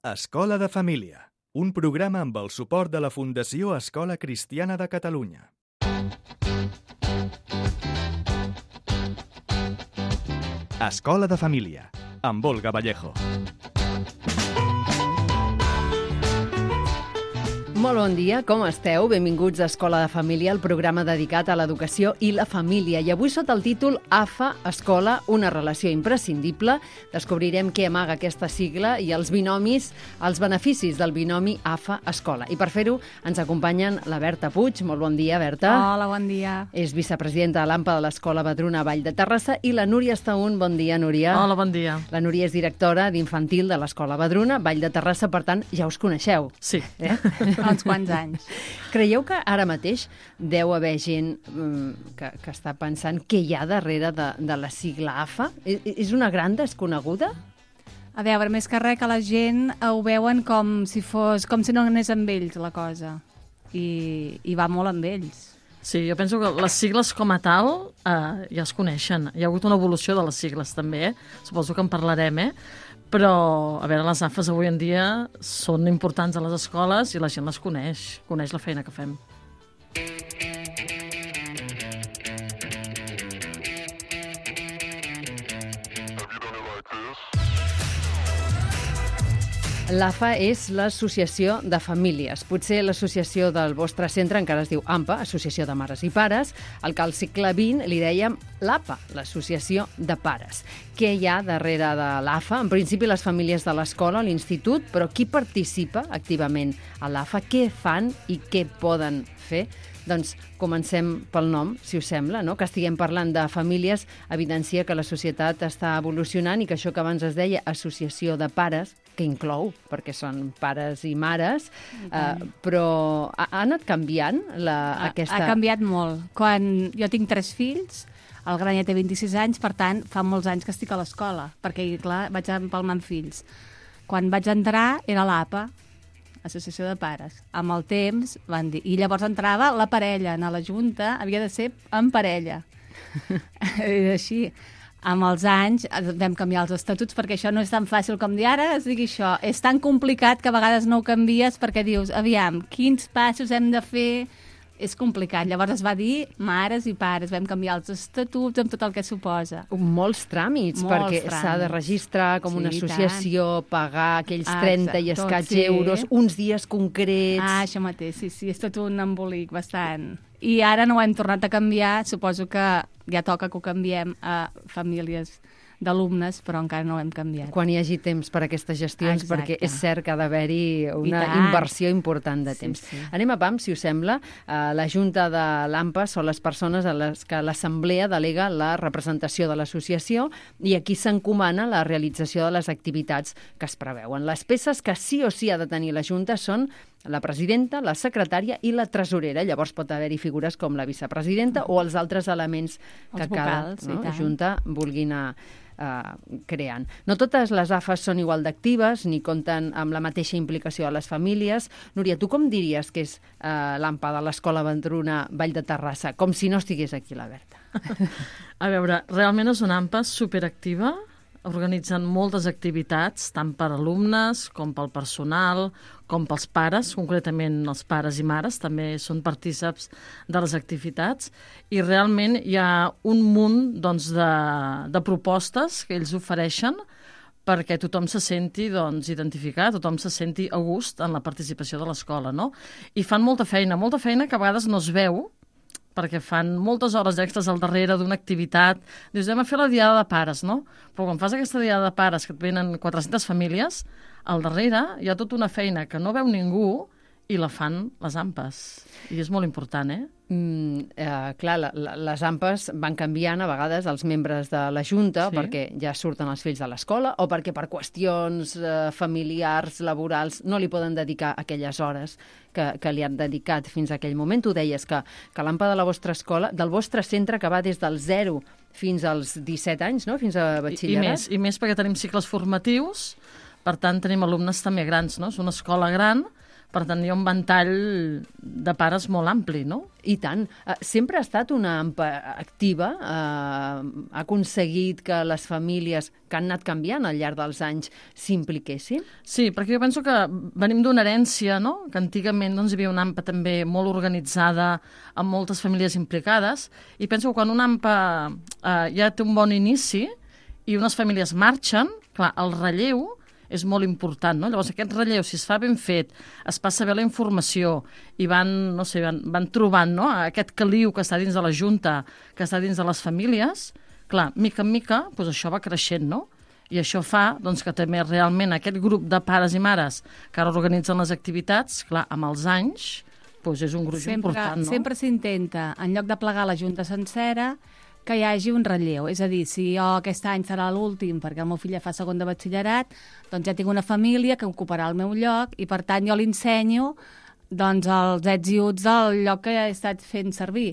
Escola de Família, un programa amb el suport de la Fundació Escola Cristiana de Catalunya. Escola de Família, amb Olga Vallejo. Molt bon dia, com esteu? Benvinguts a Escola de Família, el programa dedicat a l'educació i la família. I avui sota el títol AFA, Escola, una relació imprescindible, descobrirem què amaga aquesta sigla i els binomis, els beneficis del binomi AFA, Escola. I per fer-ho ens acompanyen la Berta Puig. Molt bon dia, Berta. Hola, bon dia. És vicepresidenta de l'AMPA de l'Escola Vedruna Vall de Terrassa, i la Núria Estaún. Bon dia, Núria. Hola, bon dia. La Núria és directora d'infantil de l'Escola Vedruna Vall de Terrassa, per tant, ja us coneixeu. Sí. Uns quants anys. Creieu que ara mateix deu haver gent que està pensant què hi ha darrere de la sigla AFA? És una gran desconeguda? A veure, més que res que la gent ho veuen com si no anés amb ells la cosa. I va molt amb ells. Sí, jo penso que les sigles com a tal ja es coneixen. Hi ha hagut una evolució de les sigles també, suposo que en parlarem, Però, a veure, les AFAs avui en dia són importants a les escoles i la gent les coneix la feina que fem. L'AFA és l'Associació de Famílies. Potser l'associació del vostre centre encara es diu AMPA, Associació de Mares i Pares, el que al segle XX li dèiem l'APA, l'Associació de Pares. Què hi ha darrere de l'AFA? En principi les famílies de l'escola, l'institut, però qui participa activament a l'AFA? Què fan i què poden fer? Doncs comencem pel nom, si us sembla, no? Que estiguem parlant de famílies evidencia que la societat està evolucionant i que això que abans es deia associació de pares, que inclou, perquè són pares i mares, però ha anat canviant aquesta... Ha canviat molt. Quan jo tinc 3 fills, el gran ja té 26 anys, per tant, fa molts anys que estic a l'escola, perquè, clar, vaig empalmant fills. Quan vaig entrar era l'APA, Associació de Pares. Amb el temps van dir... I llavors entrava la parella. A la junta havia de ser en parella. És així. Amb els anys vam canviar els estatuts perquè això no és tan fàcil com dir ara es digui això. És tan complicat que a vegades no ho canvies perquè dius, aviam, quins passos hem de fer? És complicat. Llavors es va dir mares i pares. Vam canviar els estatuts amb tot el que suposa. Molts tràmits, perquè s'ha de registrar com una associació, pagar aquells 30 i escaig euros, uns dies concrets... Això mateix, sí, és tot un embolic bastant. I ara no ho hem tornat a canviar, suposo que ja toca que ho canviem a famílies d'alumnes, però encara no ho hem canviat. Quan hi hagi temps per a aquestes gestions, perquè és cert que ha d'haver-hi una inversió important de temps. Sí. Anem a PAM, si us sembla. La Junta de l'AMPA són les persones a les que l'Assemblea delega la representació de l'associació i aquí s'encomana la realització de les activitats que es preveuen. Les peces que sí o sí ha de tenir la Junta són la presidenta, la secretària i la tresorera. Llavors pot haver-hi figures com la vicepresidenta o els altres elements que cada Junta vulgui anar creant. No totes les AFAs són igual d'actives ni compten amb la mateixa implicació a les famílies. Núria, tu com diries que és l'AMPA de l'Escola Vedruna Vall de Terrassa? Com si no estigués aquí la Berta. A veure, realment és una AMPA superactiva, organitzen moltes activitats, tant per alumnes com pel personal, com pels pares, concretament els pares i mares, també són partícips de les activitats, i realment hi ha un munt de propostes que ells ofereixen perquè tothom se senti identificat, tothom se senti a gust en la participació de l'escola, no? I fan molta feina que a vegades no es veu, perquè fan moltes hores extres al darrere d'una activitat. Dius, anem a fer la diada de pares, no? Però quan fas aquesta diada de pares, que et venen 400 famílies, al darrere hi ha tota una feina que no veu ningú i la fan les AMPAs. I és molt important, Clar, les AMPAs van canviant a vegades els membres de la Junta perquè ja surten els fills de l'escola o perquè per qüestions familiars, laborals, no li poden dedicar aquelles hores que li han dedicat fins a aquell moment. Tu deies que l'AMPA de la vostra escola, del vostre centre, que va des del 0 fins als 17 anys, no? Fins a batxillerat. I més perquè tenim cicles formatius, per tant tenim alumnes també grans, no? És una escola gran, Per tant, hi ha un ventall de pares molt ampli, no? I tant. Sempre ha estat una AMPA activa, ha aconseguit que les famílies que han anat canviant al llarg dels anys s'impliquessin? Sí, perquè jo penso que venim d'una herència, no? Que antigament hi havia una AMPA també molt organitzada, amb moltes famílies implicades, i penso que quan una AMPA ja té un bon inici i unes famílies marxen, clar, el relleu és molt important, no? Llavors, aquest relleu, si es fa ben fet, es passa bé la informació i van trobant, no?, aquest caliu que està dins de la Junta, que està dins de les famílies, clar, mica en mica, doncs això va creixent, no? I això fa que també realment aquest grup de pares i mares que ara organitzen les activitats, clar, amb els anys, doncs és un gruix important, no? Sempre s'intenta, en lloc de plegar la Junta sencera, que hi hagi un relleu. És a dir, si jo aquest any serà l'últim perquè el meu fill ja fa segon de batxillerat, doncs ja tinc una família que ocuparà el meu lloc i, per tant, jo li ensenyo els ets i uts del lloc que he estat fent servir.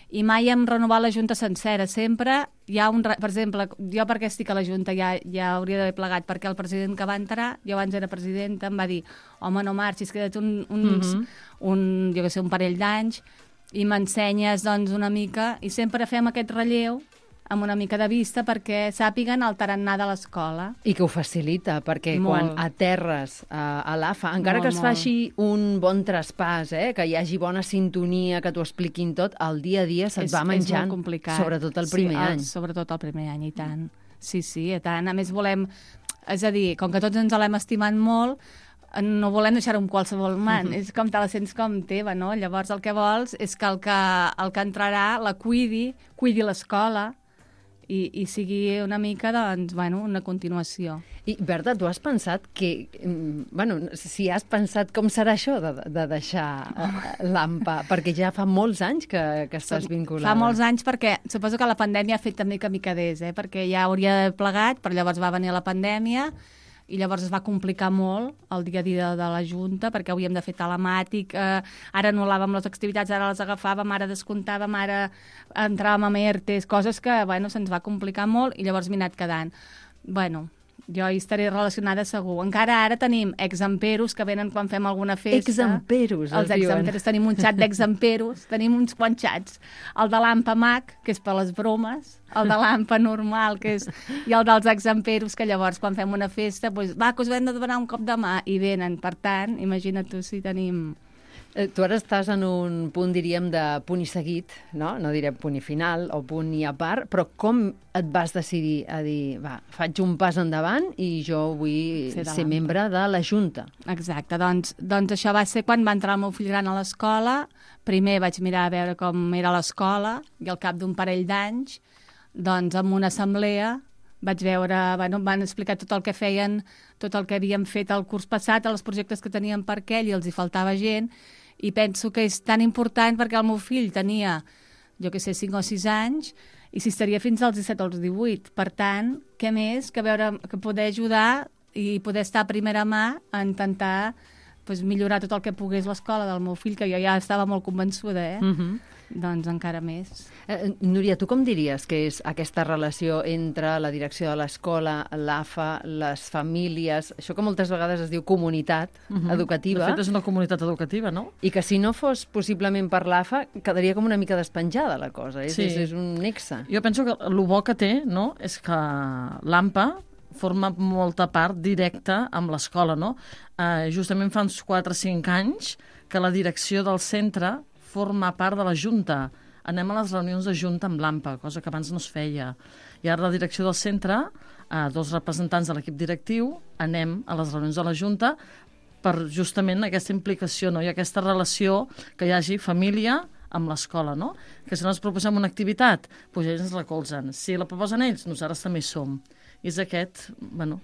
I mai hem renovat la Junta sencera. Sempre hi ha per exemple, jo perquè estic a la Junta ja hauria d'haver plegat, perquè el president que va entrar, jo abans era presidenta, em va dir, home, no marxis, queda't un parell d'anys, i m'ensenyes una mica, i sempre fem aquest relleu amb una mica de vista perquè sàpiguen el tarannà de l'escola. I que ho facilita, perquè quan aterres a l'AFA, encara que es faci un bon traspàs, que hi hagi bona sintonia, que t'ho expliquin tot, el dia a dia se't va menjant, és molt complicat. Sobretot el primer any. Sobretot el primer any, i tant. Sí, i tant. A més volem, és a dir, com que tots ens l'hem estimat molt, no volem deixar-ho amb qualsevol man. És com te la sents com teva, no? Llavors el que vols és que el que entrarà la cuidi l'escola i sigui una mica, una continuació. I, Berta, tu has pensat que... si has pensat com serà això de deixar l'AMPA, perquè ja fa molts anys que estàs vinculada. Fa molts anys perquè suposo que la pandèmia ha fet també que micadés, perquè ja hauria d'haver plegat, però llavors va venir la pandèmia i llavors es va complicar molt el dia a dia de la Junta, perquè havíem de fer telemàtic, ara anul·làvem les activitats, ara les agafàvem, ara descomptàvem, ara entràvem a ERTEs, coses que se'ns va complicar molt i llavors m'he anat quedant. Jo hi estaré relacionada segur. Encara ara tenim exemperos que venen quan fem alguna festa. Exemperos, els exemperos. Tenim un xat d'exemperos, tenim uns quants xats. El de l'AMPA MAC, que és per les bromes, el de l'AMPA normal, que és... i el dels exemperos, que llavors quan fem una festa, que us hem de donar un cop de mà, i venen. Per tant, imagina't tu si tenim... Tu ara estàs en un punt, diríem, de punt i seguit, no? No direm punt i final o punt i a part, però com et vas decidir a dir, faig un pas endavant i jo vull ser membre de la Junta? Exacte, doncs això va ser quan va entrar el meu fill gran a l'escola. Primer vaig mirar a veure com era l'escola i al cap d'un parell d'anys, amb una assemblea, vaig veure, van explicar tot el que feien, tot el que havíem fet el curs passat, els projectes que tenien per aquell i els hi faltava gent, i penso que és tan important perquè el meu fill tenia, 5 o 6 anys, i si estaria fins als 17 o als 18. Per tant, què més que poder ajudar i poder estar a primera mà a intentar millorar tot el que pogués l'escola del meu fill, que jo ja estava molt convençuda, doncs encara més. Núria, tu com diries que és aquesta relació entre la direcció de l'escola, l'AFA, les famílies, això que moltes vegades es diu comunitat educativa? De fet, és una comunitat educativa, no? I que si no fos possiblement per l'AFA, quedaria com una mica despenjada la cosa, és un nexe. Jo penso que el bo que té, no?, és que l'AMPA forma molta part directa amb l'escola, no? Justament fa uns 4 o 5 anys que la direcció del centre forma part de la Junta. Anem a les reunions de Junta amb l'AMPA, cosa que abans no es feia. I ara la direcció del centre, 2 representants de l'equip directiu, anem a les reunions de la Junta per justament aquesta implicació, no? I aquesta relació que hi hagi família amb l'escola, no? Que si nosaltres proposem una activitat, doncs ells ens recolzen. Si la proposen ells, nosaltres també hi som. I és aquest,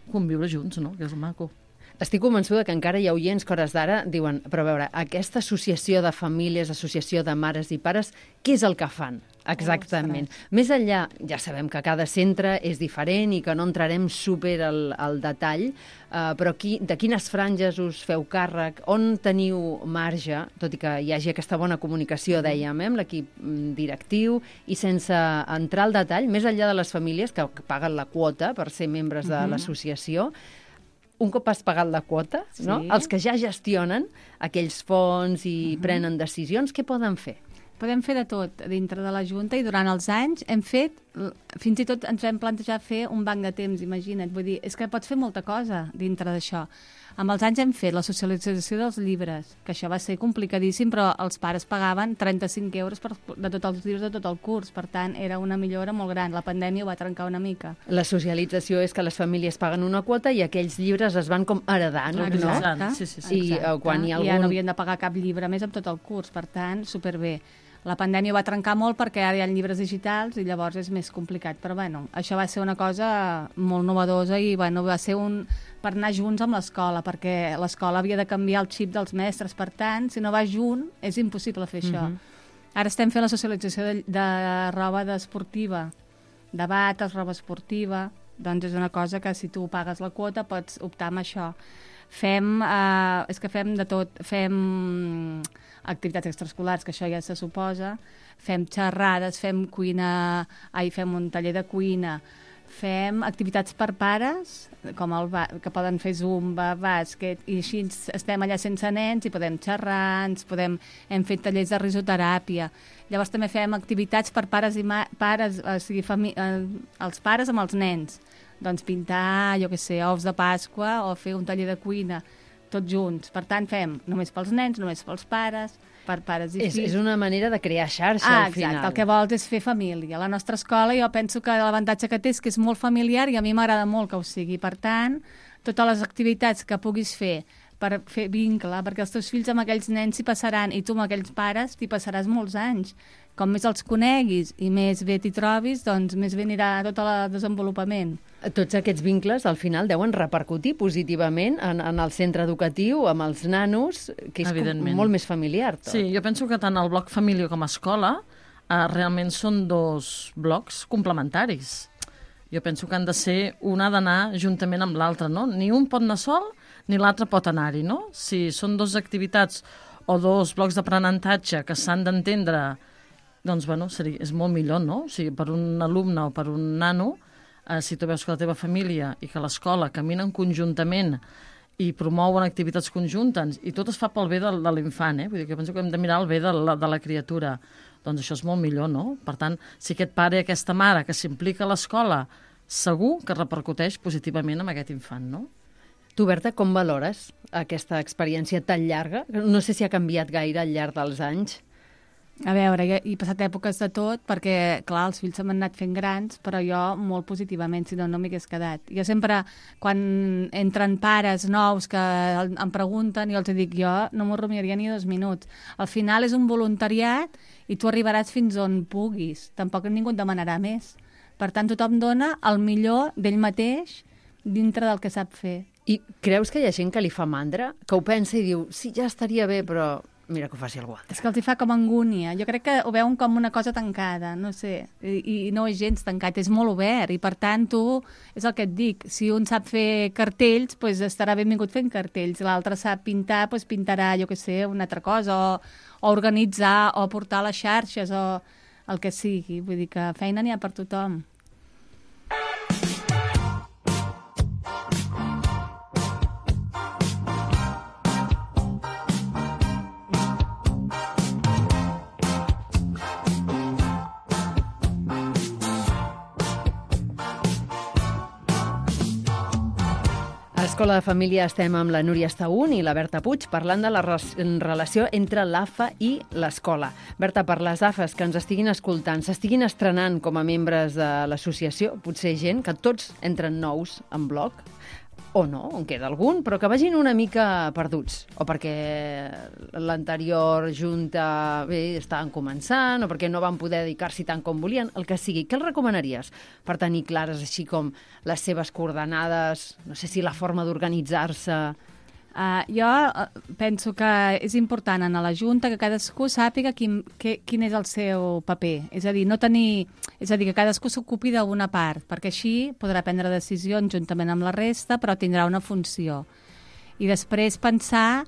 conviure junts, no?, que és el maco. Estic convençuda que encara hi ha oients que hores d'ara diuen, però a veure, aquesta associació de famílies, associació de mares i pares, què és el que fan exactament? Més enllà, ja sabem que cada centre és diferent i que no entrarem super al detall, però de quines franges us feu càrrec, on teniu marge, tot i que hi hagi aquesta bona comunicació, dèiem, amb l'equip directiu, i sense entrar al detall, més enllà de les famílies que paguen la quota per ser membres de l'associació, un cop has pagat la quota, no? Els que ja gestionen aquells fons i prenen decisions, què poden fer? Podem fer de tot dintre de la Junta i durant els anys hem fet, fins i tot ens vam plantejar fer un banc de temps, imagina't. Vull dir, és que pots fer molta cosa dintre d'això. Amb els anys hem fet la socialització dels llibres, que això va ser complicadíssim, però els pares pagaven 35 euros de tots els llibres de tot el curs. Per tant, era una millora molt gran. La pandèmia ho va trencar una mica. La socialització és que les famílies paguen una quota i aquells llibres es van com heredant, no? Exacte. Sí. I quan hi ha algun... ja no havien de pagar cap llibre més amb tot el curs. Per tant, superbé. La pandèmia va trencar molt perquè ara hi ha llibres digitals i llavors és més complicat. Però bueno, això va ser una cosa molt novedosa i bueno, va ser per anar junts amb l'escola, perquè l'escola havia de canviar el xip dels mestres. Per tant, si no vas junt, és impossible fer això. Ara estem fent la socialització de roba esportiva, de bates, roba esportiva. Doncs és una cosa que si tu pagues la quota pots optar amb això. És que fem de tot. Fem activitats extraescolars, que això ja se suposa, fem xerrades, fem un taller de cuina, fem activitats per pares, com que poden fer zumba, bàsquet, i així estem allà sense nens i podem xerrar, hem fet tallers de risoteràpia. Llavors també fem activitats per pares i pares, o sigui, els pares amb els nens. Doncs pintar, jo què sé, ous de Pasqua o fer un taller de cuina, tots junts. Per tant, fem només pels nens, només pels pares, per pares i fills. És una manera de crear xarxa, al final. Exacte, el que vols és fer família. La nostra escola, jo penso que l'avantatge que té és que és molt familiar i a mi m'agrada molt que ho sigui. Per tant, totes les activitats que puguis fer per fer vincle, perquè els teus fills amb aquells nens s'hi passaran i tu amb aquells pares t'hi passaràs molts anys. Com més els coneguis i més bé t'hi trobis, doncs més bé anirà tot el desenvolupament. Tots aquests vincles, al final, deuen repercutir positivament en el centre educatiu, amb els nanos, que és molt més familiar. Tot. Sí, jo penso que tant el bloc família com a escola realment són dos blocs complementaris. Jo penso que han de ser, una ha d'anar juntament amb l'altra, no? Ni un pot anar sol, ni l'altre pot anar-hi, no? Si són dues activitats o dos blocs d'aprenentatge que s'han d'entendre, doncs, bueno, és molt millor, no? O sigui, per un alumne o per un nano, si tu veus que la teva família i que l'escola caminen conjuntament i promouen activitats conjuntes i tot es fa pel bé de l'infant, Vull dir que penso que hem de mirar el bé de la criatura. Doncs això és molt millor, no? Per tant, si aquest pare i aquesta mare que s'implica a l'escola, segur que repercuteix positivament amb aquest infant, no? Tu, Berta, com valores aquesta experiència tan llarga? No sé si ha canviat gaire al llarg dels anys. A veure, he passat èpoques de tot, perquè, clar, els fills se m'han anat fent grans, però jo molt positivament, si no m'hagués quedat. Jo sempre, quan entren pares nous que em pregunten, jo els dic, jo no m'ho rumiaria ni 2 minuts. Al final és un voluntariat i tu arribaràs fins on puguis. Tampoc ningú et demanarà més. Per tant, tothom dona el millor d'ell mateix dintre del que sap fer. I creus que hi ha gent que li fa mandra, que ho pensa i diu, sí, ja estaria bé, però mira que ho faci algú altre? És que els hi fa com angúnia. Jo crec que ho veuen com una cosa tancada, no sé. I no és gens tancat, és molt obert. I per tant, tu, és el que et dic, si un sap fer cartells, doncs estarà benvingut fent cartells. L'altre sap pintar, doncs pintarà, jo què sé, una altra cosa, o organitzar, o portar les xarxes, o el que sigui. Vull dir que feina n'hi ha per tothom. A l'Escola de Família estem amb la Núria Estaún i la Berta Puig parlant de la relació entre l'AFA i l'escola. Berta, per les AFAs que ens estiguin escoltant, s'estiguin estrenant com a membres de l'associació, potser gent que tots entren nous en bloc, o no, en queda algun, però que vagin una mica perduts, o perquè l'anterior junta estaven començant, o perquè no van poder dedicar-s'hi tant com volien, el que sigui. Què els recomanaries per tenir clares així com les seves coordenades, no sé si la forma d'organitzar-se? Jo penso que és important a la Junta que cadascú sàpiga quin és el seu paper. És a dir, que cadascú s'ocupi d'una part, perquè així podrà prendre decisions juntament amb la resta, però tindrà una funció. I després pensar,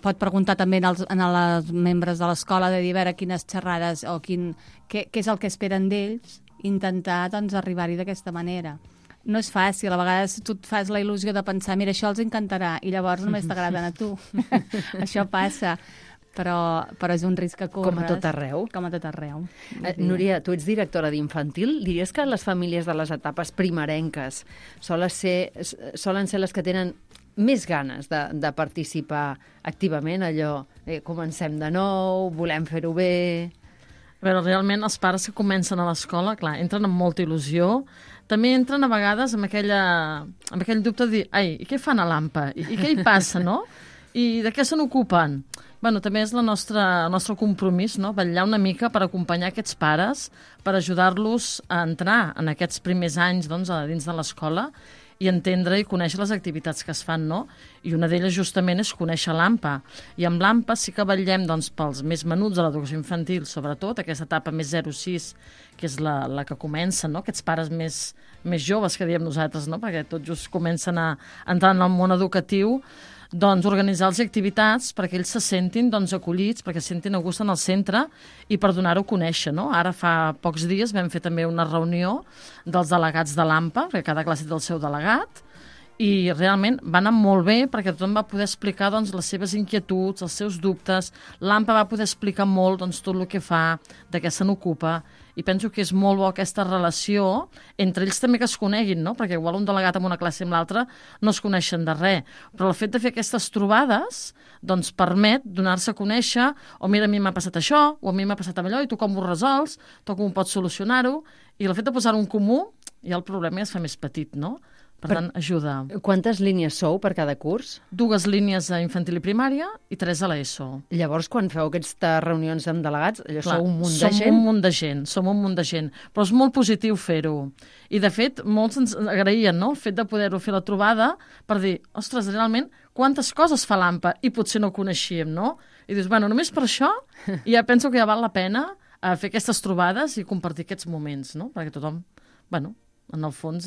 pot preguntar també als membres de l'escola de dir a veure quines xerrades o què és el que esperen d'ells, intentar doncs, arribar-hi d'aquesta manera. no és fàcil. A vegades tu et fas la il·lusió de pensar, mira, això els encantarà, i llavors només t'agraden a tu. Això passa. Però és un risc que corres. Com a tot arreu. Com a tot arreu. Núria, tu ets directora d'infantil. Diries que les famílies de les etapes primerenques solen ser les que tenen més ganes de participar activament, allò, comencem de nou, volem fer-ho bé... A veure, realment els pares que comencen a l'escola, clar, entren amb molta il·lusió, també entren a vegades amb aquell dubte de dir, ai, i què fan a l'AMPA? I què hi passa, no? I de què se n'ocupen? Bueno, també és el nostre compromís, no? Vetllar una mica per acompanyar aquests pares, per ajudar-los a entrar en aquests primers anys doncs, dins de l'escola i entendre i conèixer les activitats que es fan, no? I una d'elles justament és conèixer l'AMPA. I amb l'AMPA sí que vetllem doncs, pels més menuts de l'educació infantil, sobretot aquesta etapa més 0-6, que és la que comença, no? Aquests pares més joves que diem nosaltres, no? Perquè tot just comencen a entrar en el món educatiu, doncs organitzar-los activitats perquè ells se sentin doncs, acollits, perquè se sentin a gust en el centre i per donar-ho a conèixer, no? Ara fa pocs dies vam fer també una reunió dels delegats de l'AMPA, perquè cada classe té el seu delegat, i realment va anar molt bé perquè tothom va poder explicar doncs, les seves inquietuds, els seus dubtes. L'AMPA va poder explicar molt doncs, tot el que fa, de què se n'ocupa, i penso que és molt bo aquesta relació entre ells també que es coneguin, no? Perquè igual un delegat en una classe i amb l'altra no es coneixen de res, però el fet de fer aquestes trobades doncs permet donar-se a conèixer, o mira, a mi m'ha passat això, o a mi m'ha passat allò, i tu com ho resols, tu com pots solucionar-ho, i el fet de posar-ho en comú, ja el problema ja es fa més petit, no? Per tant, ajuda. Quantes línies sou per cada curs? 2 línies a infantil i primària i 3 a l'ESO. Llavors, quan feu aquestes reunions amb delegats, sou un munt de gent? Som un munt de gent, però és molt positiu fer-ho. I, de fet, molts ens agraïen, no?, el fet de poder-ho fer la trobada per dir, ostres, realment, quantes coses fa l'AMPA i potser no coneixíem, no? I dius, bueno, només per això ja penso que ja val la pena fer aquestes trobades i compartir aquests moments, no?, perquè tothom, bueno, en el fons,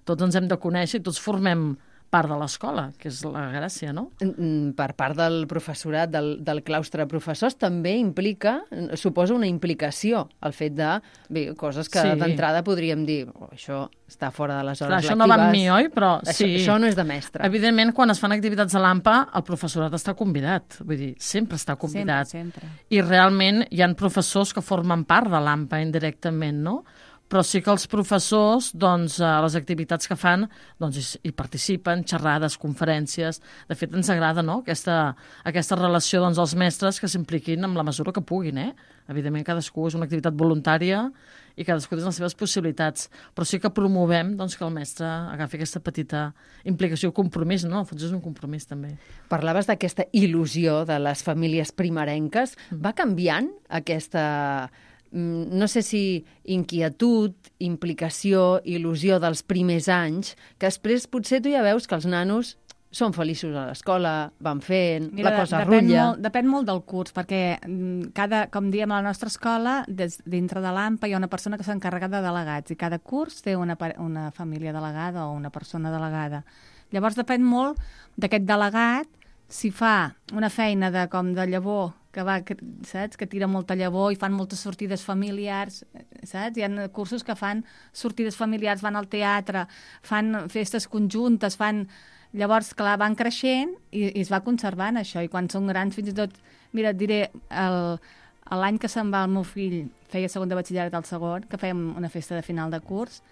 tots ens hem de conèixer i tots formem part de l'escola, que és la gràcia, no? Per part del professorat, del claustre de professors, també implica, suposa una implicació, el fet de, bé, coses que d'entrada podríem dir, això està fora de les hores lectives. Això no va amb mi, oi? Però sí. Això no és de mestre. Evidentment, quan es fan activitats a l'AMPA, el professorat està convidat. Vull dir, sempre està convidat. Sempre. I realment hi ha professors que formen part de l'AMPA indirectament, no? Però sí que els professors, doncs, a les activitats que fan, doncs, hi participen, xerrades, conferències. De fet, ens agrada, no?, aquesta relació doncs, dels mestres que s'impliquin amb la mesura que puguin, Evidentment, cadascú és una activitat voluntària i cadascú té les seves possibilitats, però sí que promovem doncs, que el mestre agafi aquesta petita implicació, compromís, no? Al fons és un compromís, també. Parlaves d'aquesta il·lusió de les famílies primerenques. Va canviant aquesta... no sé si inquietud, implicació, il·lusió dels primers anys, que després potser tu ja veus que els nanos són feliços a l'escola, van fent, la cosa rutlla. Depèn molt del curs, perquè com diem a la nostra escola, dintre de l'AMPA hi ha una persona que s'encarrega de delegats, i cada curs té una família delegada o una persona delegada. Llavors depèn molt d'aquest delegat, si fa una feina de llavor, saps? Que tira molta llavor i fan moltes sortides familiars, saps? Hi ha cursos que fan sortides familiars, van al teatre, fan festes conjuntes, Llavors, clar, van creixent i es va conservant això, i quan són grans, fins i tot, mira, et diré, l'any que se'n va el meu fill, feia segon de batxillerat al segon, que fèiem una festa de final de curs,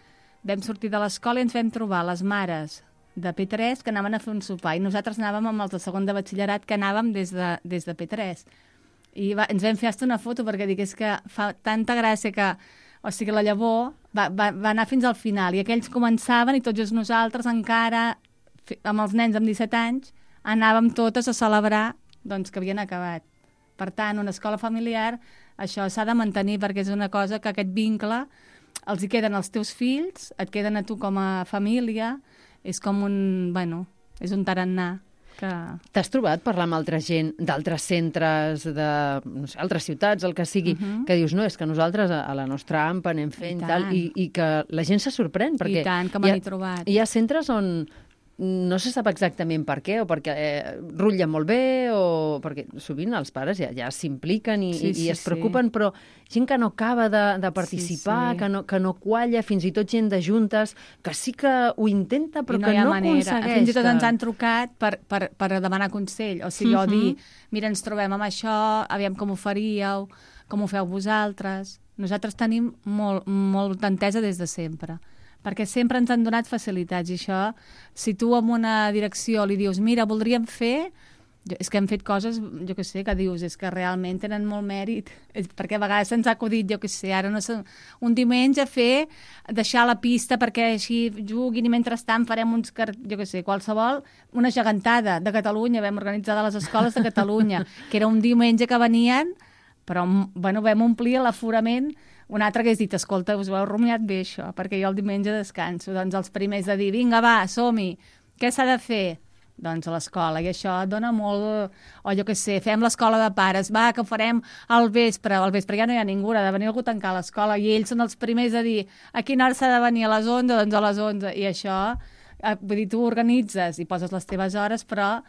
vam sortir de l'escola i ens vam trobar les mares de P3 que anaven a fer un sopar, i nosaltres anàvem amb els de segon de batxillerat que anàvem des de P3. I ens vam fer una foto perquè dic, és que fa tanta gràcia que, o sigui, la llavor va anar fins al final, i aquells començaven i tots just nosaltres encara, amb els nens amb 17 anys, anàvem totes a celebrar doncs, que havien acabat. Per tant, una escola familiar, això s'ha de mantenir perquè és una cosa que aquest vincle els hi queden als teus fills, et queden a tu com a família, és com és un tarannà. T'has trobat parlar amb altra gent d'altres centres, de altres ciutats, el que sigui, que dius, no, és que nosaltres a la nostra AMPA anem fent i que la gent se sorprèn, perquè i tant, que me n'he trobat. Hi ha centres on no se sap exactament per què, o perquè rutlla molt bé, o perquè sovint els pares ja s'impliquen i es preocupen, però gent que no acaba de participar, que no qualla, fins i tot gent de juntes, que sí que ho intenta, però que no aconsegueix. Fins i tot ens han trucat per demanar consell, o sigui, o dir, mira, ens trobem amb això, aviam com ho faríeu, com ho feu vosaltres. Nosaltres tenim molta entesa des de sempre, perquè sempre ens han donat facilitats, i això, si tu en una direcció li dius, mira, voldríem fer, és que hem fet coses, jo què sé, que dius, és que realment tenen molt mèrit, perquè a vegades se'ns ha acudit, jo què sé, ara no sé, un diumenge deixar la pista perquè així juguin i mentrestant farem uns, jo què sé, qualsevol, una gegantada de Catalunya, vam organitzar de les escoles de Catalunya, que era un diumenge que venien, però bueno, vam omplir l'aforament. Un altre que has dit, escolta, us ho heu rumiat bé això, perquè jo el diumenge descanso. Doncs els primers de dir, vinga, va, som-hi, què s'ha de fer? Doncs a l'escola, i això dona molt... O jo què sé, fem l'escola de pares, va, que ho farem al vespre ja no hi ha ningú, ha de venir algú a tancar l'escola, i ells són els primers a dir, a quina hora s'ha de venir, a les 11? Doncs a les 11, i això, vull dir, tu organitzes i poses les teves hores, però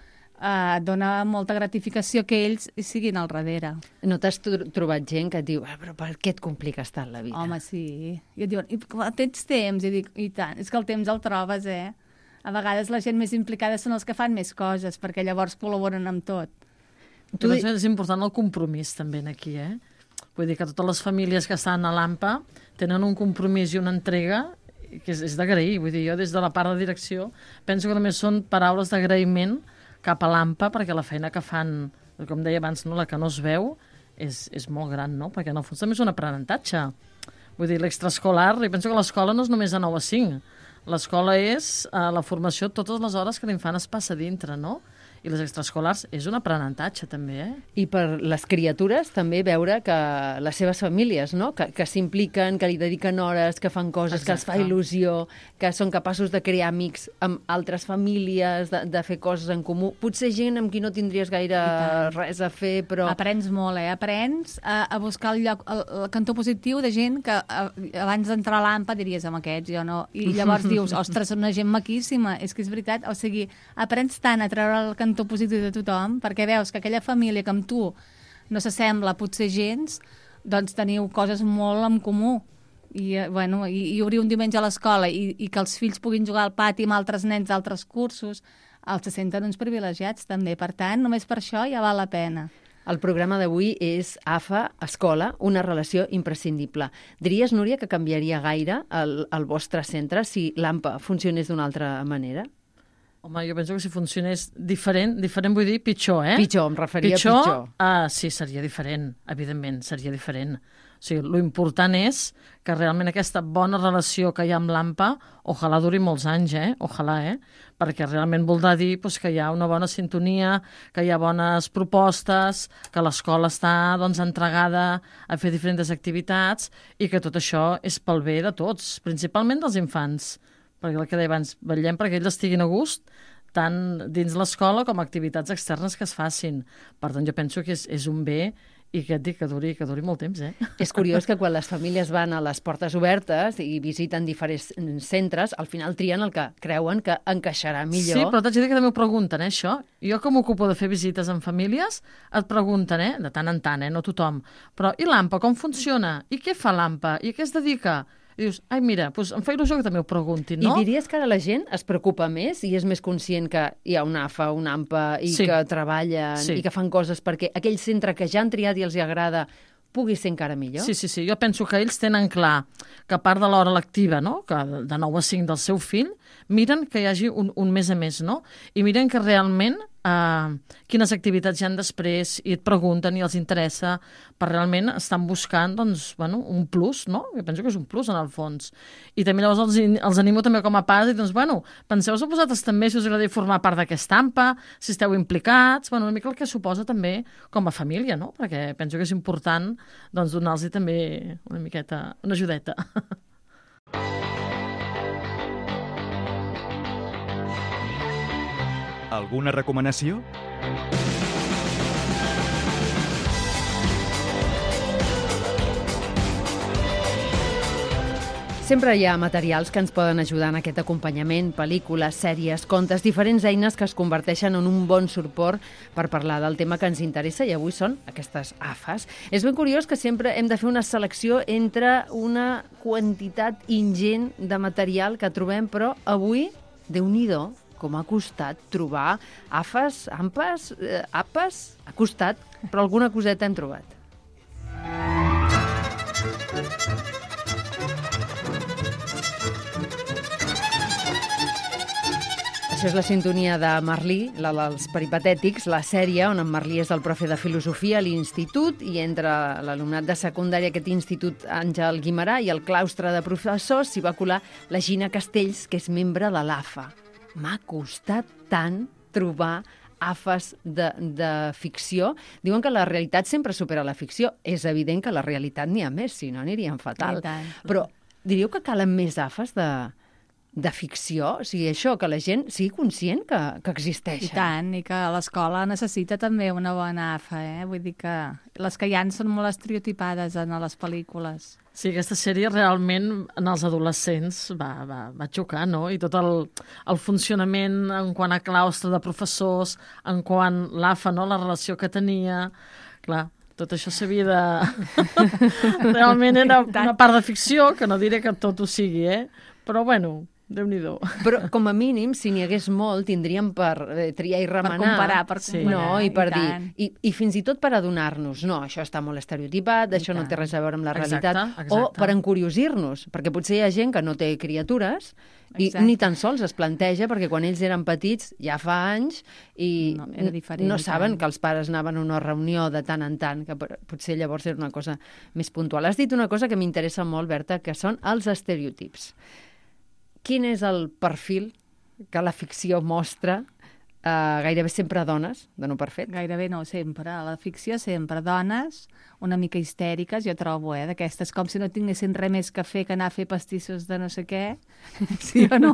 dona molta gratificació que ells siguin al darrere. No t'has trobat gent que et diu, però per què et compliques tant la vida? Home, sí. I et diuen, tens temps? I dic, i tant, és que el temps el trobes, A vegades la gent més implicada són els que fan més coses, perquè llavors col·laboren amb tot. És important el compromís també aquí, Vull dir que totes les famílies que estan a l'AMPA tenen un compromís i una entrega que és d'agrair. Vull dir, jo des de la part de direcció penso que només són paraules d'agraïment cap a l'AMPA, perquè la feina que fan, com deia abans, no, la que no es veu, és molt gran, no? Perquè en el fons també és un aprenentatge. Vull dir, l'extraescolar, i penso que l'escola no és només de 9 a 5. L'escola és la formació totes les hores que l'infant es passa dintre, no? I les extraescolars és un aprenentatge, també, I per les criatures també veure que les seves famílies, no?, que s'impliquen, que li dediquen hores, que fan coses, que els fa il·lusió, que són capaços de crear amics amb altres famílies, de fer coses en comú. Potser gent amb qui no tindries gaire res a fer, però... Aprens molt, Aprens a buscar el lloc, el cantó positiu de gent que abans d'entrar a l'AMPA diries, amb aquests, jo no. I llavors dius, ostres, són una gent maquíssima. És que és veritat, o sigui, aprens tant a treure el cantó positiu de tothom, perquè veus que aquella família que amb tu no s'assembla potser gens, doncs teniu coses molt en comú. I obrir un diumenge a l'escola i que els fills puguin jugar al pati amb altres nens d'altres cursos, els se senten uns privilegiats també. Per tant, només per això ja val la pena. El programa d'avui és AFA, Escola, una relació imprescindible. Diries, Núria, que canviaria gaire el vostre centre si l'AMPA funcionés d'una altra manera? Home, jo penso que si funcionés diferent vull dir pitjor, Pitjor, em referia a pitjor. Sí, seria diferent, evidentment, seria diferent. O sigui, l'important és que realment aquesta bona relació que hi ha amb l'AMPA, ojalà duri molts anys, ojalà, perquè realment voldrà dir que hi ha una bona sintonia, que hi ha bones propostes, que l'escola està entregada a fer diferents activitats i que tot això és pel bé de tots, principalment dels infants. Perquè el que deia abans, vetllem perquè ells estiguin a gust tant dins l'escola com activitats externes que es facin. Per tant, jo penso que és un bé i que et dic que duri molt temps, És curiós que quan les famílies van a les portes obertes i visiten diferents centres, al final trien el que creuen que encaixarà millor. Sí, però t'haig de dir que també ho pregunten, això. Jo que m'ocupo de fer visites en famílies, et pregunten, de tant en tant, no tothom, però i l'AMPA, com funciona? I què fa l'AMPA? I a què es dedica? I dius, ai, mira, doncs em fa il·lusió que també ho preguntin, no? I diries que ara la gent es preocupa més i és més conscient que hi ha una AFA, una AMPA i que treballen i que fan coses perquè aquell centre que ja han triat i els agrada pugui ser encara millor? Sí. Jo penso que ells tenen clar que a part de l'hora lectiva, no?, que de 9 a 5 del seu fill, miren que hi hagi un mes a mes, no? I miren que realment quines activitats hi ha després i et pregunten i els interessa, per realment estan buscant un plus, no? Jo penso que és un plus en el fons. I també llavors els animo també com a pares i penseu-vos a vosaltres també si us agradaria formar part d'aquesta AMPA, si esteu implicats, una mica el que suposa també com a família, no? Perquè penso que és important donar-los també una miqueta, una ajudeta. Alguna recomanació? Sempre hi ha materials que ens poden ajudar en aquest acompanyament, pel·lícules, sèries, contes, diferents eines que es converteixen en un bon suport per parlar del tema que ens interessa i avui són aquestes AFAs. És ben curiós que sempre hem de fer una selecció entre una quantitat ingent de material que trobem, però avui, Déu-n'hi-do, com ha costat trobar AFAs, AMPAs, APAs, ha costat, però alguna coseta hem trobat. Això és la sintonia de Merlí, la dels peripatètics, la sèrie on en Merlí és el profe de filosofia a l'institut i entre l'alumnat de secundària aquest institut Àngel Guimerà i el claustre de professors s'hi va colar la Gina Castells, que és membre de l'AFA. M'ha costat tant trobar AFAs de ficció. Diuen que la realitat sempre supera la ficció. És evident que la realitat n'hi ha més, si no aniríem fatal. Però diríeu que calen més AFAs de ficció? O sigui, això, que la gent sigui conscient que existeixen. I tant, i que l'escola necessita també una bona AFA, Vull dir que les que hi ha són molt estereotipades en les pel·lícules. Sí, aquesta sèrie realment en els adolescents va xocar, no? I tot el funcionament en quant a claustre de professors, en quant l'AFA, no? La relació que tenia... Clar, tot això s'havia de... Realment era una part de ficció, que no diré que tot ho sigui, Però, bueno... Déu-n'hi-do. Però, com a mínim, si n'hi hagués molt, tindríem per triar i remenar. Per comparar, per comparar. No, i per dir... I fins i tot per adonar-nos. No, això està molt estereotipat, això no té res a veure amb la realitat. Exacte. O per encuriosir-nos, perquè potser hi ha gent que no té criatures i ni tan sols es planteja, perquè quan ells eren petits, ja fa anys, i no saben que els pares anaven a una reunió de tant en tant, que potser llavors era una cosa més puntual. Has dit una cosa que m'interessa molt, Berta, que són els estereotips. Quin és el perfil que la ficció mostra? Gairebé sempre dones, de no per fet? Gairebé no, sempre. A la ficció sempre dones, una mica histèriques, jo trobo, d'aquestes, com si no tinguessin res més que fer que anar a fer pastissos de no sé què. Sí o no?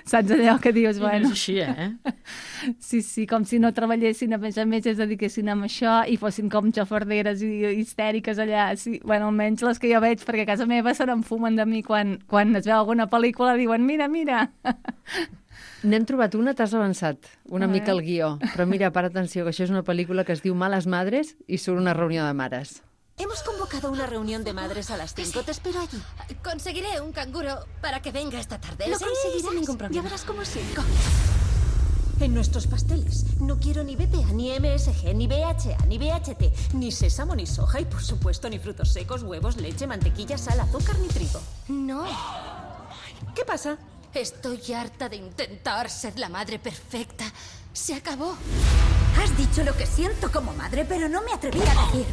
Saps allò que dius? Bueno, és així, Sí, com si no treballessin, a més es dediquessin a això i fossin com xofarderes i histèriques allà. Sí, bueno, almenys les que jo veig, perquè a casa meva se n'enfumen de mi quan es veu alguna pel·lícula, diuen, mira. N'hem trobat una, t'has avançat una mica el guió, però mira, para atenció, que això és una pel·lícula que es diu Malas Madres i surt una reunió de mares. Hemos convocado una reunión de madres a las 5. Te espero allí. Conseguiré un canguro para que venga esta tarde. Lo conseguirás sin ningún problema. Ya verás cómo sí. En nuestros pasteles no quiero ni BPA, ni MSG, ni BHA, ni BHT, ni sésamo, ni soja y, por supuesto, ni frutos secos, huevos, leche, mantequilla, sal, azúcar, ni trigo. No. ¿Qué pasa? Estoy harta de intentar ser la madre perfecta. Se acabó. Has dicho lo que siento como madre, pero no me atreví a decir.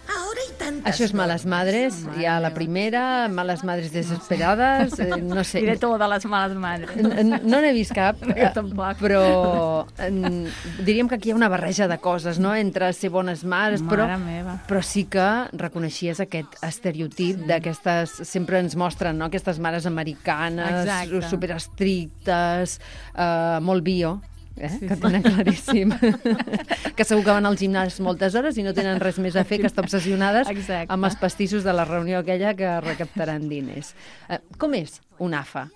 Ahora hay tantas... Això és Males Madres, hi ha la primera, Males Madres desesperades, no sé... Diré tot de les Males Madres. No n'he vist cap, però diríem que aquí hi ha una barreja de coses, no?, entre ser bones mares, però sí que reconeixies aquest estereotip d'aquestes... Sempre ens mostren, no?, aquestes mares americanes, superestrictes, molt bio, que tenen claríssim que segur que van al gimnàs moltes hores i no tenen res més a fer que estar obsessionades amb els pastissos de la reunió aquella que recaptaran diners. Com és un AFA?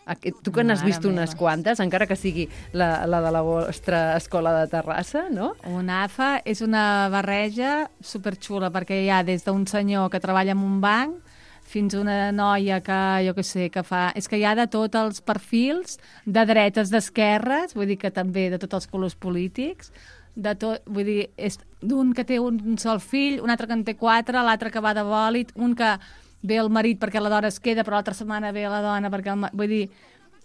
Tu que n'has vist unes quantes, encara que sigui la de la vostra escola de Terrassa, no? Un AFA és una barreja superxula, perquè hi ha des d'un senyor que treballa en un banc fins una noia que, jo què sé, que fa... És que hi ha de tots els perfils, de dretes, d'esquerres, vull dir que també de tots els colors polítics, de tot, vull dir, és d'un que té un sol fill, un altre que en té 4, l'altre que va de bòlit, un que ve el marit perquè la dona es queda, però l'altra setmana ve la dona perquè vull dir,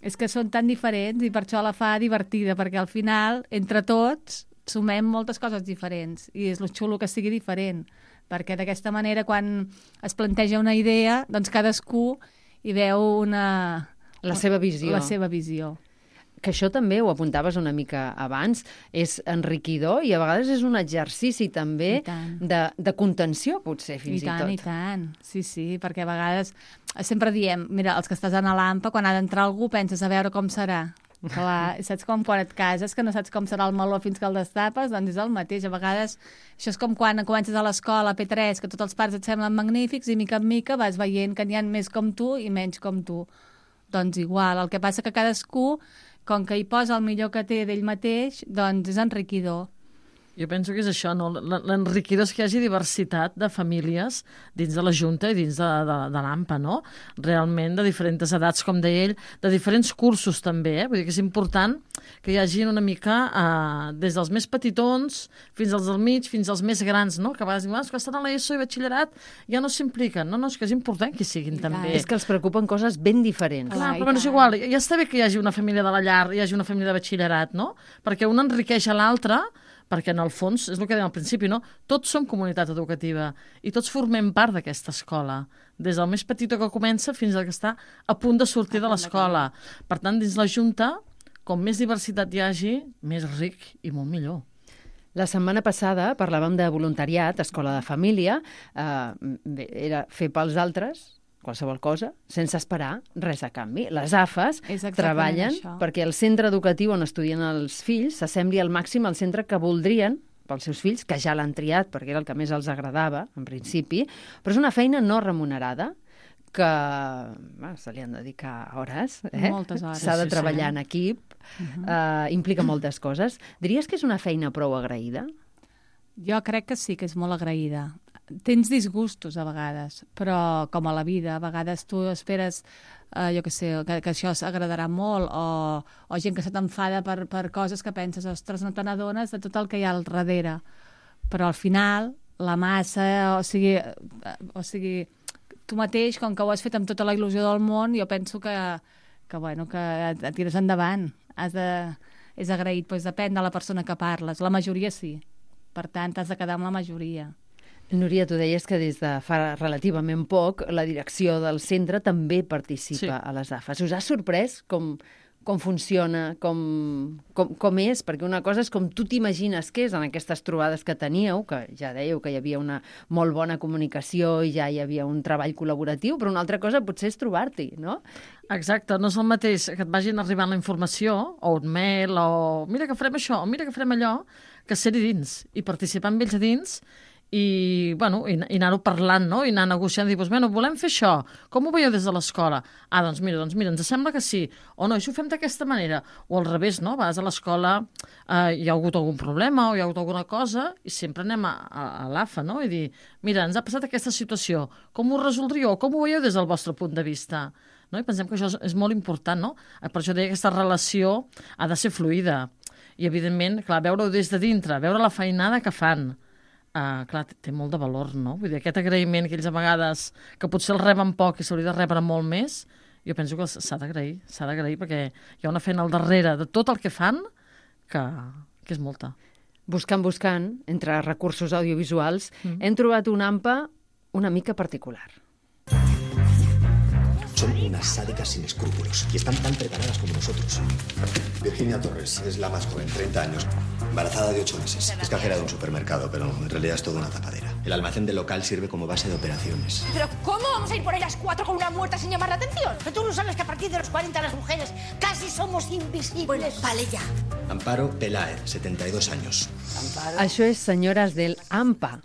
és que són tan diferents i per això la fa divertida, perquè al final, entre tots, sumem moltes coses diferents i és lo xulo que sigui diferent, perquè d'aquesta manera quan es planteja una idea, doncs cadascú hi veu la seva visió. Que això també, ho apuntaves una mica abans, és enriquidor i a vegades és un exercici també de contenció, potser, fins i tot. I tant, sí, perquè a vegades sempre diem, mira, els que estàs a l'AMPA, quan ha d'entrar algú penses a veure com serà. Clar, saps com quan et cases, que no saps com serà el meló fins que el destapes? Doncs és el mateix. A vegades això és com quan comences a l'escola, a P3, que tots els pares et semblen magnífics i mica en mica vas veient que n'hi ha més com tu i menys com tu. doncs igual. El que passa que cadascú, com que hi posa el millor que té d'ell mateix, doncs és enriquidor. Jo penso que és això, no? L'enriquidor és que hi hagi diversitat de famílies dins de la Junta i dins de l'AMPA, no? Realment de diferents edats, com deia ell, de diferents cursos també, Vull dir que és important que hi hagi una mica des dels més petitons fins als del mig, fins als més grans, no? Que a vegades diuen, que estan a l'ESO i batxillerat ja no s'impliquen. No, és que és important que hi siguin també. És que els preocupen coses ben diferents. Clar, però és igual, ja està bé que hi hagi una família de la llar, hi hagi una família de batxillerat, no? Perquè un enriqueix a l'altre, perquè en el fons, és el que dèiem al principi, no? Tots som comunitat educativa i tots formem part d'aquesta escola, des del més petit que comença fins al que està a punt de sortir de l'escola. Per tant, dins la Junta, com més diversitat hi hagi, més ric i molt millor. La setmana passada parlàvem de voluntariat, escola de família, era fer pels altres, qualsevol cosa, sense esperar res a canvi. Les AFAs treballen perquè el centre educatiu on estudien els fills s'assembli al màxim al centre que voldrien pels seus fills, que ja l'han triat perquè era el que més els agradava, en principi, però és una feina no remunerada que se li han de dedicar hores. Moltes hores. S'ha de treballar en equip, implica moltes coses. Diries que és una feina prou agraïda? Jo crec que sí, que és molt agraïda. Tens disgustos a vegades, però com a la vida, a vegades tu esperes, jo què sé, que això s'agradarà molt, o gent que se t'enfada per coses que penses, ostres, no te n'adones de tot el que hi ha al darrere. Però al final, la massa, o sigui, tu mateix, com que ho has fet amb tota la il·lusió del món, jo penso que et tires endavant. És agraït, doncs depèn de la persona que parles. La majoria sí. Per tant, t'has de quedar amb la majoria. Núria, tu deies que des de fa relativament poc la direcció del centre també participa a les AFAs. Us ha sorprès com funciona, com és? Perquè una cosa és com tu t'imagines que és en aquestes trobades que teníeu, que ja dèieu que hi havia una molt bona comunicació i ja hi havia un treball col·laboratiu, però una altra cosa potser és trobar-t'hi, no? Exacte, no és el mateix que et vagin arribant la informació, o un mail, o mira que farem això, o mira que farem allò, que ser-hi dins i participar amb ells a dins i anar-ho parlant, no? I anar negociant, dir, volem fer això, com ho veieu des de l'escola? Doncs mira, ens sembla que sí, o no, això ho fem d'aquesta manera, o al revés, no? A vegades a l'escola hi ha hagut algun problema o hi ha hagut alguna cosa i sempre anem a l'AFA, no? I dir, mira, ens ha passat aquesta situació, com ho resoldríeu, com ho veieu des del vostre punt de vista? No? I pensem que això és molt important, no? Per això deia que aquesta relació ha de ser fluida i, evidentment, clar, veure-ho des de dintre, veure la feinada que fan, clar, té molt de valor, no? Vull dir, aquest agraïment que ells a vegades, que potser el reben poc i s'hauria de rebre molt més, jo penso que s'ha d'agrair perquè hi ha una feina al darrere de tot el que fan que és molta. Buscant, entre recursos audiovisuals, hem trobat una AMPA una mica particular. Son unas sádicas sin escrúpulos y están tan preparadas como nosotros. Virginia Torres es la más joven, 30 años, embarazada de 8 meses. Es cajera de un supermercado, pero en realidad es toda una tapadera. El almacén del local sirve como base de operaciones. ¿Pero cómo vamos a ir por ahí las 4 con una muerta sin llamar la atención? Pero tú no sabes que a partir de los 40 las mujeres casi somos invisibles. Bueno, vale ya. Amparo Peláez, 72 años. Amparo. Això és Senyores del AMPA,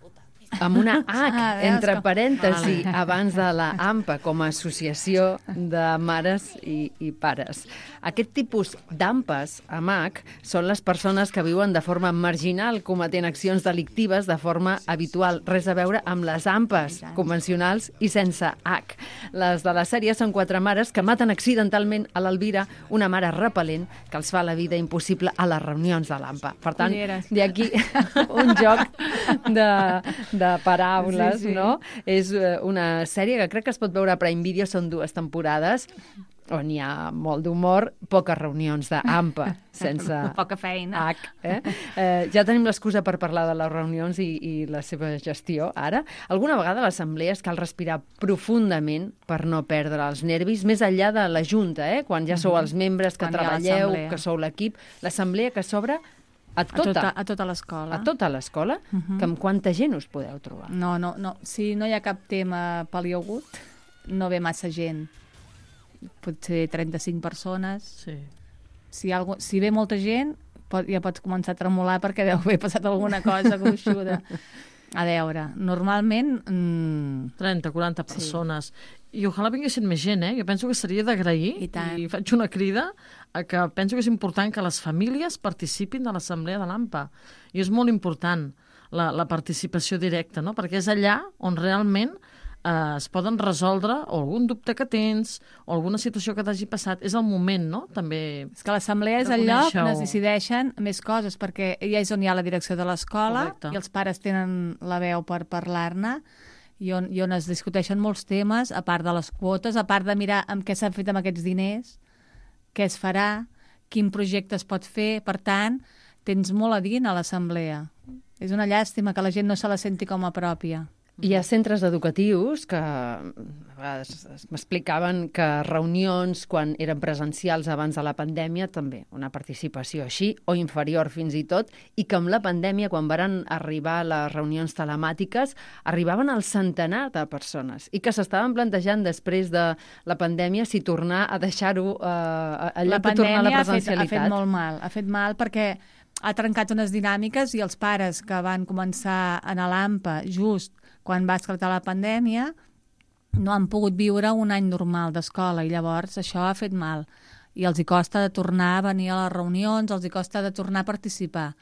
amb una H entre parèntesi abans de la AMPA com a associació de mares i pares. Aquest tipus d'AMPAs amb H són les persones que viuen de forma marginal cometent accions delictives de forma habitual. Res a veure amb les AMPAs convencionals i sense H. Les de la sèrie són 4 mares que maten accidentalment a l'Elvira, una mare repel·lent que els fa la vida impossible a les reunions de l'AMPA. Per tant, d'aquí un joc de paraules, no? És una sèrie que crec que es pot veure a Prime Video, són 2 temporades, on hi ha molt d'humor, poques reunions d'AMPA, sense poca feina. Ja tenim l'excusa per parlar de les reunions i la seva gestió, ara. Alguna vegada a l'assemblea cal respirar profundament per no perdre els nervis, més enllà de la junta, quan ja sou els membres que treballeu, que sou l'equip. L'assemblea que s'obre a tota l'escola. A tota l'escola? Que amb quanta gent us podeu trobar? No. Si no hi ha cap tema paliagut, no ve massa gent. Potser 35 persones. Sí. Si ve molta gent, ja pots començar a tremolar perquè deu haver passat alguna cosa gruixuda. A veure, normalment... 30, 40 persones. I ojalà vinguessin més gent, Jo penso que seria d'agrair, i faig una crida a que penso que és important que les famílies participin de l'assemblea de l'AMPA. I és molt important la participació directa, no? Perquè és allà on realment es poden resoldre o algun dubte que tens o alguna situació que t'hagi passat. És el moment, no? També és que l'assemblea és el lloc on es decideixen més coses, perquè ja és on hi ha la direcció de l'escola i els pares tenen la veu per parlar-ne i on es discuteixen molts temes, a part de les quotes, a part de mirar amb què s'han fet amb aquests diners, què es farà, quin projecte es pot fer. Per tant, tens molt a dir a l'assemblea. És una llàstima que la gent no se la senti com a pròpia. Hi ha centres educatius que m'explicaven que reunions, quan eren presencials abans de la pandèmia, també una participació així, o inferior fins i tot, i que amb la pandèmia, quan van arribar les reunions telemàtiques, arribaven al centenar de persones, i que s'estaven plantejant després de la pandèmia si tornar a deixar-ho en lloc de tornar a la presencialitat. Ha fet mal perquè ha trencat unes dinàmiques i els pares que van començar a anar a l'AMPA just quan va esclatar la pandèmia no han pogut viure un any normal d'escola i llavors això ha fet mal. I els hi costa de tornar a venir a les reunions, els hi costa de tornar a participar.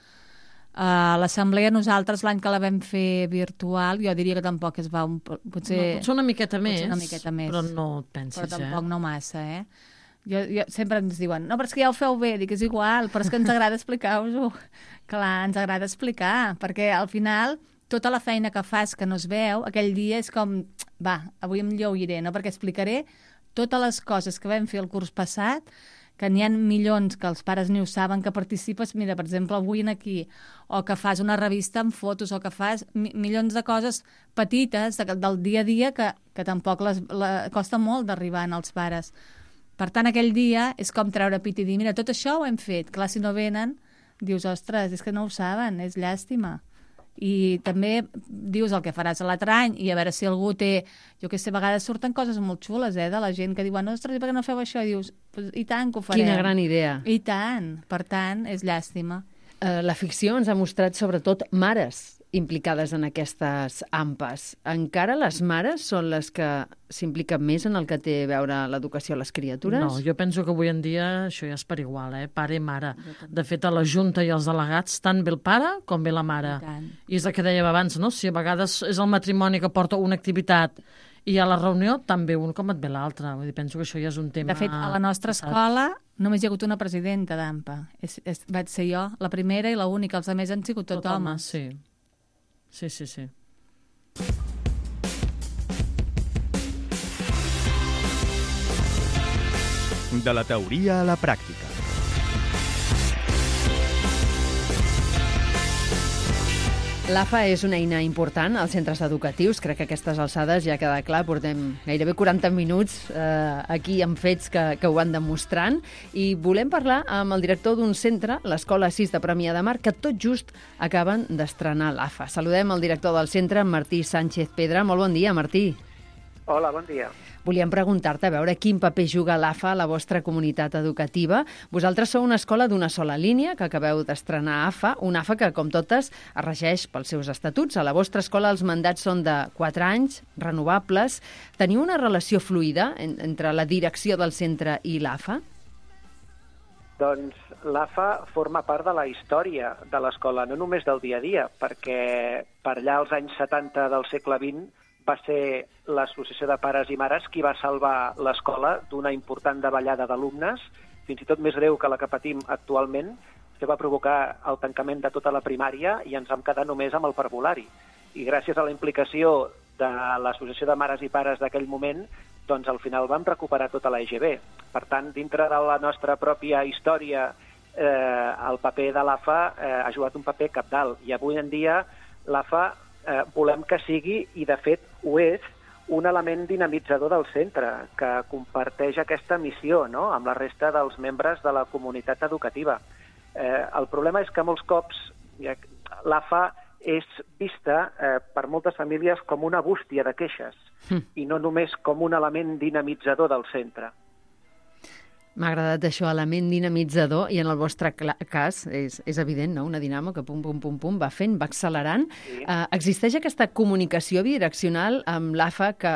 A l'assemblea nosaltres l'any que la vam fer virtual, jo diria que tampoc es va... Potser una miqueta més, però no et pensis, però tampoc no massa, Jo sempre ens diuen, no, però és que ja ho feu bé, dic, és igual, però és que ens agrada explicar-vos-ho. Clar, ens agrada explicar, perquè al final tota la feina que fas que no es veu, aquell dia és com, va, avui em lleugiré, no? Perquè explicaré totes les coses que vam fer el curs passat, que n'hi ha milions que els pares ni ho saben, que participes, mira, per exemple, avui aquí, o que fas una revista amb fotos, o que fas milions de coses petites del dia a dia que tampoc costa molt d'arribar als pares. Per tant, aquell dia és com treure pit i dir, mira, tot això ho hem fet. Clar, si no venen, dius, ostres, és que no ho saben, és llàstima. I també dius el que faràs l'altre any i a veure si algú té... Jo que sé, a vegades surten coses molt xules, de la gent que diuen, ostres, i per què no feu això? I dius, i tant que ho farem. Quina gran idea. I tant. Per tant, és llàstima. La ficció ens ha mostrat sobretot mares implicades en aquestes AMPAs. Encara les mares són les que s'impliquen més en el que té a veure l'educació a les criatures? No, jo penso que avui en dia això ja és per igual, pare i mare. De fet, a la Junta i els delegats, tant bé el pare com bé la mare. I és el que dèiem abans, no? Si a vegades és el matrimoni que porta una activitat i a la reunió també un com et ve l'altre. Penso que això ja és un tema... De fet, a la nostra escola només hi ha hagut una presidenta d'AMPA. Vaig ser jo, la primera i l'única. Els altres han sigut tot homes. Sí. Sí. De la teoria a la pràctica. L'AFA és una eina important als centres educatius. Crec que a aquestes alçades ja queda clar. Portem gairebé 40 minuts aquí amb fets que ho van demostrant. I volem parlar amb el director d'un centre, l'Escola 6 de Premià de Mar, que tot just acaben d'estrenar l'AFA. Saludem el director del centre, Martí Sánchez Pedra. Molt bon dia, Martí. Hola, bon dia. Volíem preguntar-te a veure quin paper juga l'AFA a la vostra comunitat educativa. Vosaltres sou una escola d'una sola línia que acabeu d'estrenar AFA, una AFA que, com totes, es regeix pels seus estatuts. A la vostra escola els mandats són de 4 anys, renovables. Teniu una relació fluida entre la direcció del centre i l'AFA? Doncs l'AFA forma part de la història de l'escola, no només del dia a dia, perquè per allà als anys 70 del segle XX va ser l'Associació de Pares i Mares qui va salvar l'escola d'una important davallada d'alumnes, fins i tot més greu que la que patim actualment, que va provocar el tancament de tota la primària i ens vam quedar només amb el parvulari. I gràcies a la implicació de l'Associació de Mares i Pares d'aquell moment, doncs al final vam recuperar tota la EGB. Per tant, dintre de la nostra pròpia història, el paper de l'AFA ha jugat un paper cabdal. I avui en dia l'AFA volem que sigui, i de fet ho és, un element dinamitzador del centre, que comparteix aquesta missió, no?, amb la resta dels membres de la comunitat educativa. El problema és que molts cops l'AFA és vista per moltes famílies com una bústia de queixes i no només com un element dinamitzador del centre. M'ha agradat això, element dinamitzador, i en el vostre cas és evident, no? Una dinamo que pum, pum, pum, pum, va fent, va accelerant. Sí. Existeix aquesta comunicació bidireccional amb l'AFA que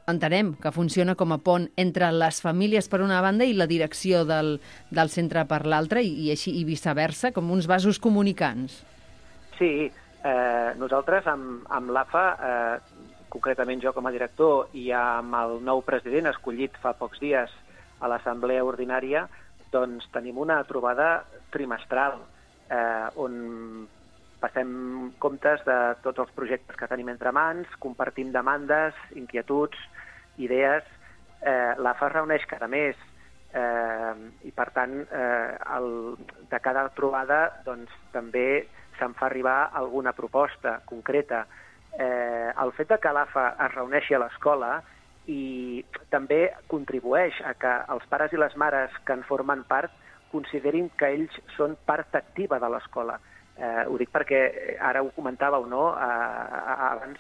entenem que funciona com a pont entre les famílies per una banda i la direcció del centre per l'altra, i així i viceversa, com uns vasos comunicants. Sí, nosaltres amb l'AFA, concretament jo com a director i amb el nou president escollit fa pocs dies a l'assemblea ordinària, doncs tenim una trobada trimestral on passem comptes de tots els projectes que tenim entre mans, compartim demandes, inquietuds, idees. L'AFA es reuneix cada mes i, per tant, de cada trobada doncs, també se'n fa arribar alguna proposta concreta. El fet que l'AFA es reuneixi a l'escola i també contribueix a que els pares i les mares que en formen part considerin que ells són part activa de l'escola. Ho dic perquè ara ho comentàveu, no? Abans,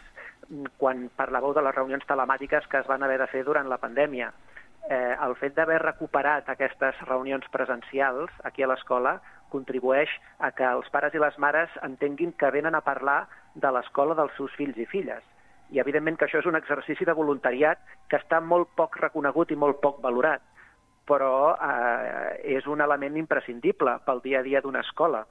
quan parlàveu de les reunions telemàtiques que es van haver de fer durant la pandèmia. El fet d'haver recuperat aquestes reunions presencials aquí a l'escola contribueix a que els pares i les mares entenguin que venen a parlar de l'escola dels seus fills i filles. I evidentment que això és un exercici de voluntariat que està molt poc reconegut i molt poc valorat, però és un element imprescindible pel dia a dia d'una escola,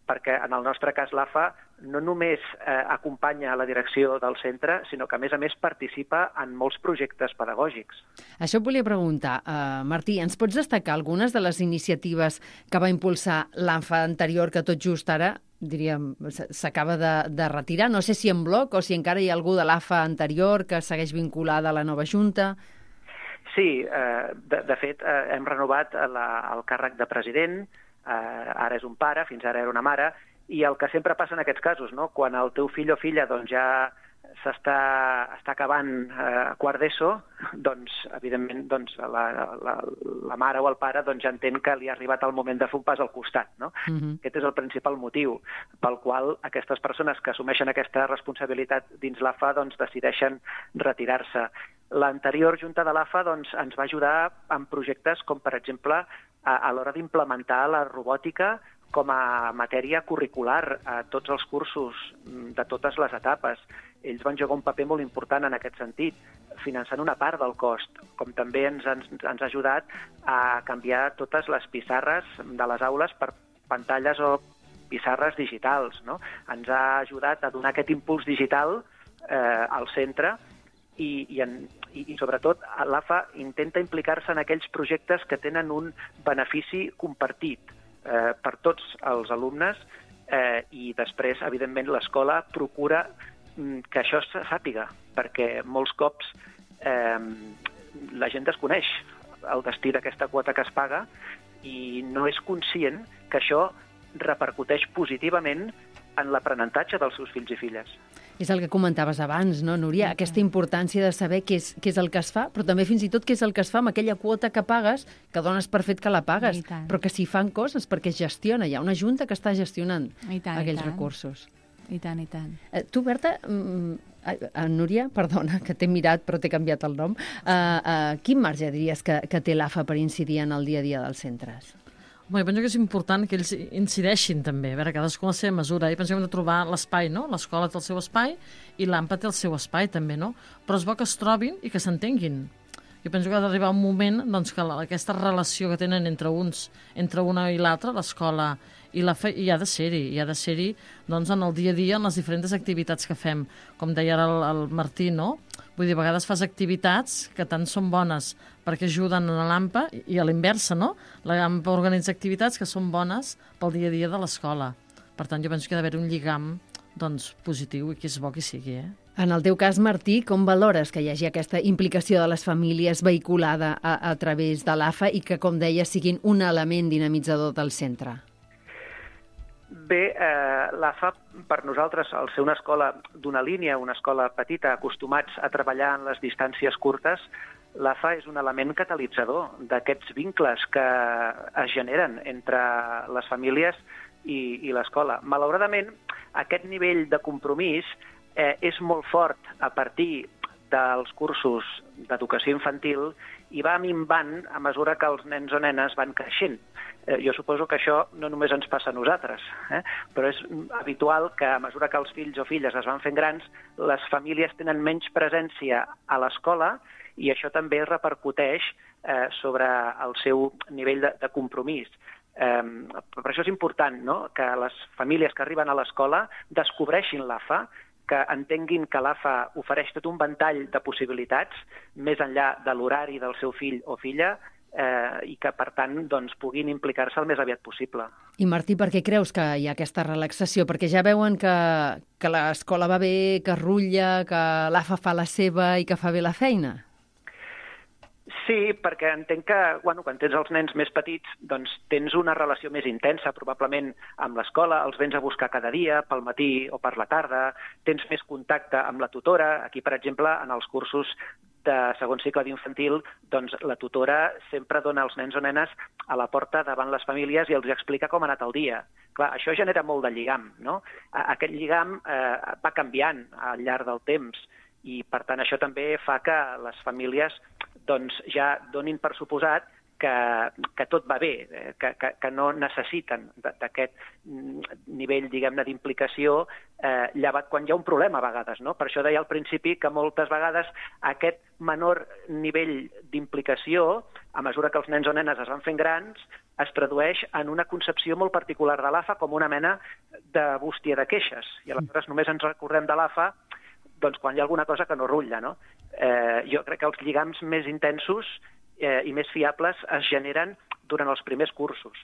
perquè en el nostre cas l'AFA no només acompanya la direcció del centre, sinó que a més participa en molts projectes pedagògics. Això et volia preguntar, Martí, ens pots destacar algunes de les iniciatives que va impulsar l'AFA anterior que tot just ara, diríem, s'acaba de retirar? No sé si en bloc o si encara hi ha algú de l'AFA anterior que segueix vinculada a la nova Junta. Sí, de fet, hem renovat el càrrec de president. Ara és un pare, fins ara era una mare, i el que sempre passa en aquests casos, no? Quan el teu fill o filla doncs, ja està acabant quart d'ESO, doncs, evidentment, doncs, la mare o el pare doncs, ja entén que li ha arribat el moment de fer un pas al costat. No? Aquest és el principal motiu pel qual aquestes persones que assumeixen aquesta responsabilitat dins l'AFA doncs, decideixen retirar-se. L'anterior Junta de l'AFA doncs, ens va ajudar en projectes com, per exemple, a l'hora d'implementar la robòtica com a matèria curricular a tots els cursos de totes les etapes. Ells van jugar un paper molt important en aquest sentit, finançant una part del cost, com també ens ha ajudat a canviar totes les pissarres de les aules per pantalles o pissarres digitals. No? Ens ha ajudat a donar aquest impuls digital al centre i sobretot l'AFA intenta implicar-se en aquells projectes que tenen un benefici compartit per tots els alumnes i després, evidentment, l'escola procura que això se sàpiga, perquè molts cops la gent desconeix el destí d'aquesta quota que es paga i no és conscient que això repercuteix positivament en l'aprenentatge dels seus fills i filles. És el que comentaves abans, no, Núria? Aquesta importància de saber què és el que es fa, però també fins i tot què és el que es fa amb aquella quota que pagues, que dones per fet que la pagues, però que s'hi fan coses perquè es gestiona. Hi ha una junta que està gestionant aquells recursos. I tant, i tant. Tu, Berta, Núria, perdona, que t'he mirat però t'he canviat el nom, quin marge diries que té l'AFA per incidir en el dia a dia dels centres? Bé, penso que és important que ells incideixin també, a veure, cadascú a la seva mesura, i penso que hem de trobar l'espai, no? L'escola té el seu espai i l'AMPA té el seu espai també, no? Però és bo que es trobin i que s'entenguin. Jo penso que ha d'arribar un moment doncs, que aquesta relació que tenen entre una i l'altra, l'escola i l'AFA, hi ha de ser-hi doncs, en el dia a dia, en les diferents activitats que fem. Com deia ara el Martí, no? Vull dir, a vegades fas activitats que tant són bones perquè ajuden a l'AMPA i a l'inversa, no? L'AMPA organitza activitats que són bones pel dia a dia de l'escola. Per tant, jo penso que ha d'haver un lligam doncs, positiu i que és bo que sigui, En el teu cas, Martí, com valores que hi hagi aquesta implicació de les famílies vehiculada a través de l'AFA i que, com deia, siguin un element dinamitzador del centre? Bé, l'AFA, per nosaltres, al ser una escola d'una línia, una escola petita, acostumats a treballar en les distàncies curtes, l'AFA és un element catalitzador d'aquests vincles que es generen entre les famílies i l'escola. Malauradament, aquest nivell de compromís és molt fort a partir dels cursos d'educació infantil i va minvant a mesura que els nens o nenes van creixent. Jo suposo que això no només ens passa a nosaltres, però és habitual que a mesura que els fills o filles es van fent grans, les famílies tenen menys presència a l'escola i això també repercuteix sobre el seu nivell de compromís. Per això és important, no?, que les famílies que arriben a l'escola descobreixin l'AFA, que entenguin que l'AFA ofereix tot un ventall de possibilitats més enllà de l'horari del seu fill o filla i que, per tant, doncs, puguin implicar-se el més aviat possible. I, Martí, per què creus que hi ha aquesta relaxació? Perquè ja veuen que l'escola va bé, que rutlla, que l'AFA fa la seva i que fa bé la feina? Sí, perquè entenc que quan tens els nens més petits doncs tens una relació més intensa probablement amb l'escola, els vens a buscar cada dia, pel matí o per la tarda, tens més contacte amb la tutora. Aquí, per exemple, en els cursos de segon cicle d'infantil, doncs la tutora sempre dona els nens o nenes a la porta davant les famílies i els explica com ha anat el dia. Clar, això genera molt de lligam, no? Aquest lligam va canviant al llarg del temps i, per tant, això també fa que les famílies doncs ja donin per suposat que tot va bé, que no necessiten d'aquest nivell, diguem-ne, d'implicació, llevat quan hi ha un problema a vegades, no? Per això deia al principi que moltes vegades aquest menor nivell d'implicació, a mesura que els nens o nenes es van fent grans, es tradueix en una concepció molt particular de l'AFA com una mena de bústia de queixes. I aleshores només ens recordem de l'AFA doncs, quan hi ha alguna cosa que no rutlla, no? Jo crec que els lligams més intensos i més fiables es generen durant els primers cursos.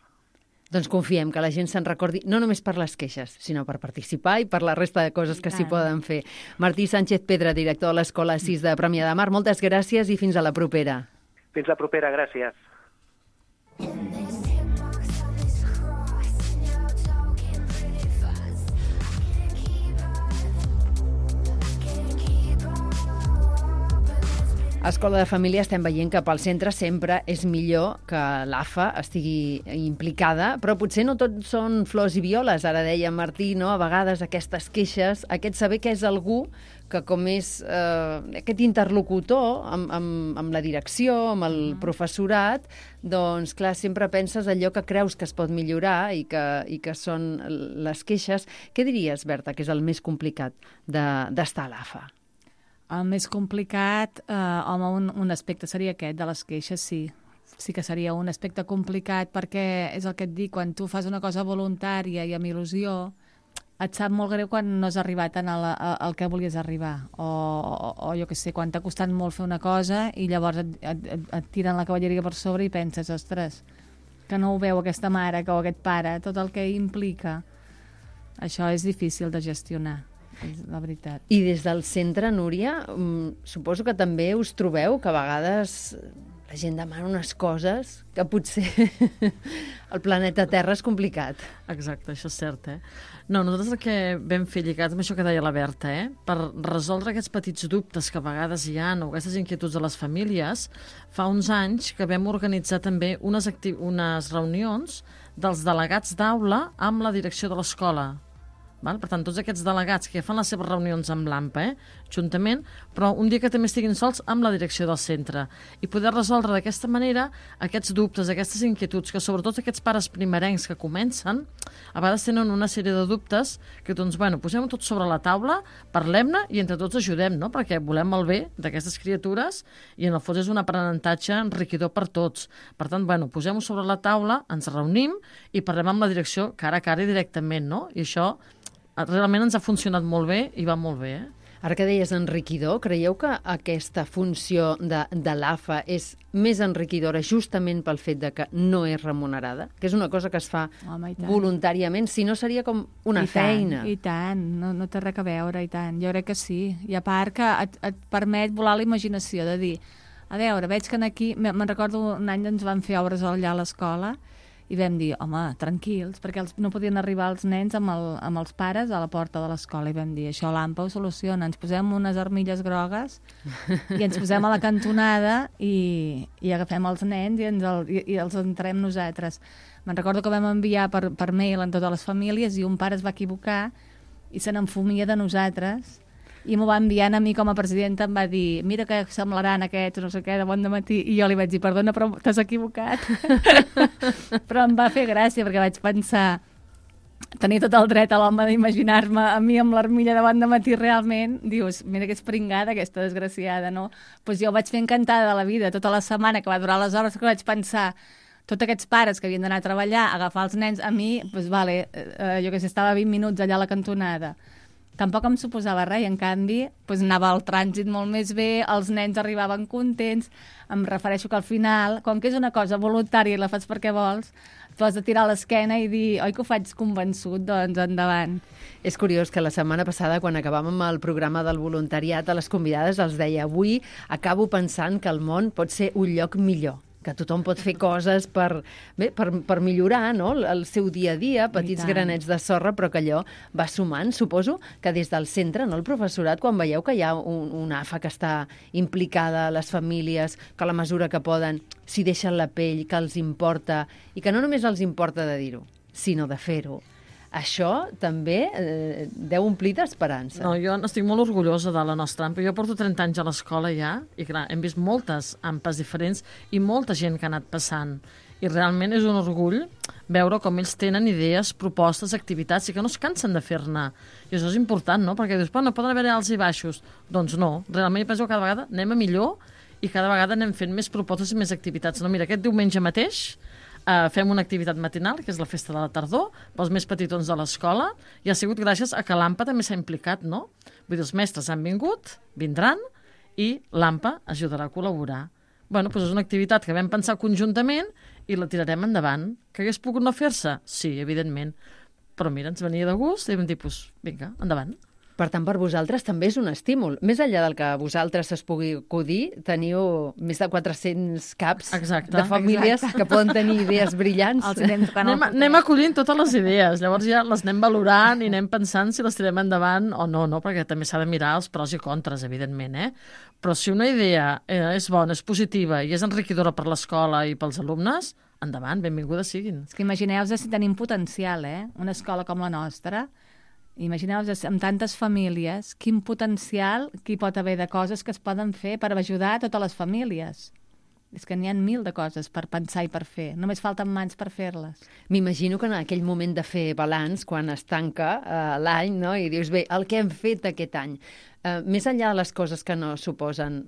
Doncs confiem que la gent se'n recordi, no només per les queixes, sinó per participar i per la resta de coses que s'hi poden fer. Martí Sánchez Pedra, director de l'Escola 6 de Premià de Mar, moltes gràcies i fins a la propera. Fins la propera, gràcies. A Escola de Família estem veient que pel centre sempre és millor que l'AFA estigui implicada, però potser no tot són flors i violes. Ara deia Martí, no? A vegades aquestes queixes, aquest saber que és algú que com és aquest interlocutor amb la direcció, amb el professorat, doncs clar, sempre penses allò que creus que es pot millorar i que són les queixes. Què diries, Berta, que és el més complicat d'estar a l'AFA? El més complicat, home, un aspecte seria aquest, de les queixes, sí. Sí que seria un aspecte complicat perquè és el que et dic, quan tu fas una cosa voluntària i amb il·lusió, et sap molt greu quan no has arribat al que volies arribar. O jo què sé, quan t'ha costat molt fer una cosa i llavors et tiren la cavalleria per sobre i penses, ostres, que no ho veu aquesta mare o aquest pare, tot el que implica. Això és difícil de gestionar. És la veritat. I des del centre, Núria, suposo que també us trobeu que a vegades la gent demana unes coses que potser el planeta Terra és complicat. Exacte, això és cert, No, nosaltres el que vam fer lligat amb això que deia la Berta, per resoldre aquests petits dubtes que a vegades hi ha o aquestes inquietuds de les famílies, fa uns anys que vam organitzar també unes reunions dels delegats d'aula amb la direcció de l'escola. Per tant, tots aquests delegats que fan les seves reunions amb l'AMPA, juntament, però un dia que també estiguin sols amb la direcció del centre i poder resoldre d'aquesta manera aquests dubtes, aquestes inquietuds, que sobretot aquests pares primerencs que comencen, a vegades tenen una sèrie de dubtes que, doncs, posem-ho tot sobre la taula, parlem-ne i entre tots ajudem, no? Perquè volem el bé d'aquestes criatures i en el fons és un aprenentatge enriquidor per tots. Per tant, posem-ho sobre la taula, ens reunim i parlem amb la direcció cara a cara i directament, no? I això realment ens ha funcionat molt bé i va molt bé, Ara que deies enriquidor, creieu que aquesta funció de l'AFA és més enriquidora justament pel fet de que no és remunerada? Que és una cosa que es fa voluntàriament, si no seria com una feina. I tant, no té res a veure, i tant. Jo crec que sí. I a part que et permet volar la imaginació, de dir, a veure, veig que aquí... Me'n recordo un any ens van fer obres allà a l'escola i vam dir, home, tranquils, perquè no podien arribar els nens amb els pares a la porta de l'escola, i vam dir, això l'AMPA ho soluciona, ens posem unes armilles grogues i ens posem a la cantonada i agafem els nens i els entrem nosaltres. Me'n recordo que vam enviar per mail a totes les famílies i un pare es va equivocar i se n'enfumia de nosaltres i m'ho va enviant a mi com a presidenta, em va dir, mira que semblaran aquests, no sé què, de bon dematí, i jo li vaig dir, perdona, però t'has equivocat. Però em va fer gràcia, perquè vaig pensar, tenir tot el dret a l'home d'imaginar-me a mi amb l'armilla de bon dematí realment, dius, mira que és pringada aquesta desgraciada, no? Doncs jo ho vaig fer encantada de la vida, tota la setmana que va durar les hores, que vaig pensar, tots aquests pares que havien d'anar a treballar, agafar els nens, a mi, doncs vale, jo que sé, estava 20 minuts allà a la cantonada. Tampoc em suposava res, i en canvi doncs anava al trànsit molt més bé, els nens arribaven contents, em refereixo que al final, com que és una cosa voluntària i la fas perquè vols, tu has de tirar l'esquena i dir, oi que ho faig convençut, doncs endavant. És curiós que la setmana passada, quan acabàvem el programa del voluntariat, a les convidades els deia, avui acabo pensant que el món pot ser un lloc millor, que tothom pot fer coses per millorar, no?, el seu dia a dia, petits granets de sorra, però que allò va sumant. Suposo que des del centre, no, el professorat, quan veieu que hi ha una AFA que està implicada, les famílies, que a la mesura que poden s'hi deixen la pell, que els importa, i que no només els importa de dir-ho, sinó de fer-ho. Això també deu omplir d'esperança. No, jo estic molt orgullosa de la nostra AMPA. Jo porto 30 anys a l'escola ja, i clar, hem vist moltes AMPAs diferents i molta gent que ha anat passant. I realment és un orgull veure com ells tenen idees, propostes, activitats, i que no es cansen de fer-ne. I això és important, no? Perquè dius, no poden haver alts i baixos. Doncs no, realment penso que cada vegada anem a millor i cada vegada anem fent més propostes i més activitats. No, mira, aquest diumenge mateix fem una activitat matinal, que és la festa de la tardor, pels més petitons de l'escola, i ha sigut gràcies a que l'AMPA també s'ha implicat, no? Vull dir, els mestres han vingut, vindran, i l'AMPA ajudarà a col·laborar. Bueno, doncs és una activitat que vam pensar conjuntament i la tirarem endavant. Que hagués pogut no fer-se? Sí, evidentment. Però mira, ens venia de gust i vam dir, doncs, vinga, endavant. Per tant, per vosaltres també és un estímul. Més enllà del que vosaltres es pugui acudir, teniu més de 400 caps de famílies que poden tenir idees brillants. Anem acollint totes les idees, llavors ja les anem valorant i anem pensant si les tirem endavant o no, perquè també s'ha de mirar els pros i contres, evidentment, Però si una idea és bona, és positiva i és enriquidora per l'escola i pels alumnes, endavant, benvingudes siguin. És que imagineu-vos si tenim potencial, una escola com la nostra. Imagineu-vos, amb tantes famílies, quin potencial que hi pot haver de coses que es poden fer per ajudar a totes les famílies. És que n'hi ha 1000 de coses per pensar i per fer. Només falten mans per fer-les. M'imagino que en aquell moment de fer balanç, quan es tanca l'any, no?, i dius, bé, el que hem fet aquest any, més enllà de les coses que no suposen,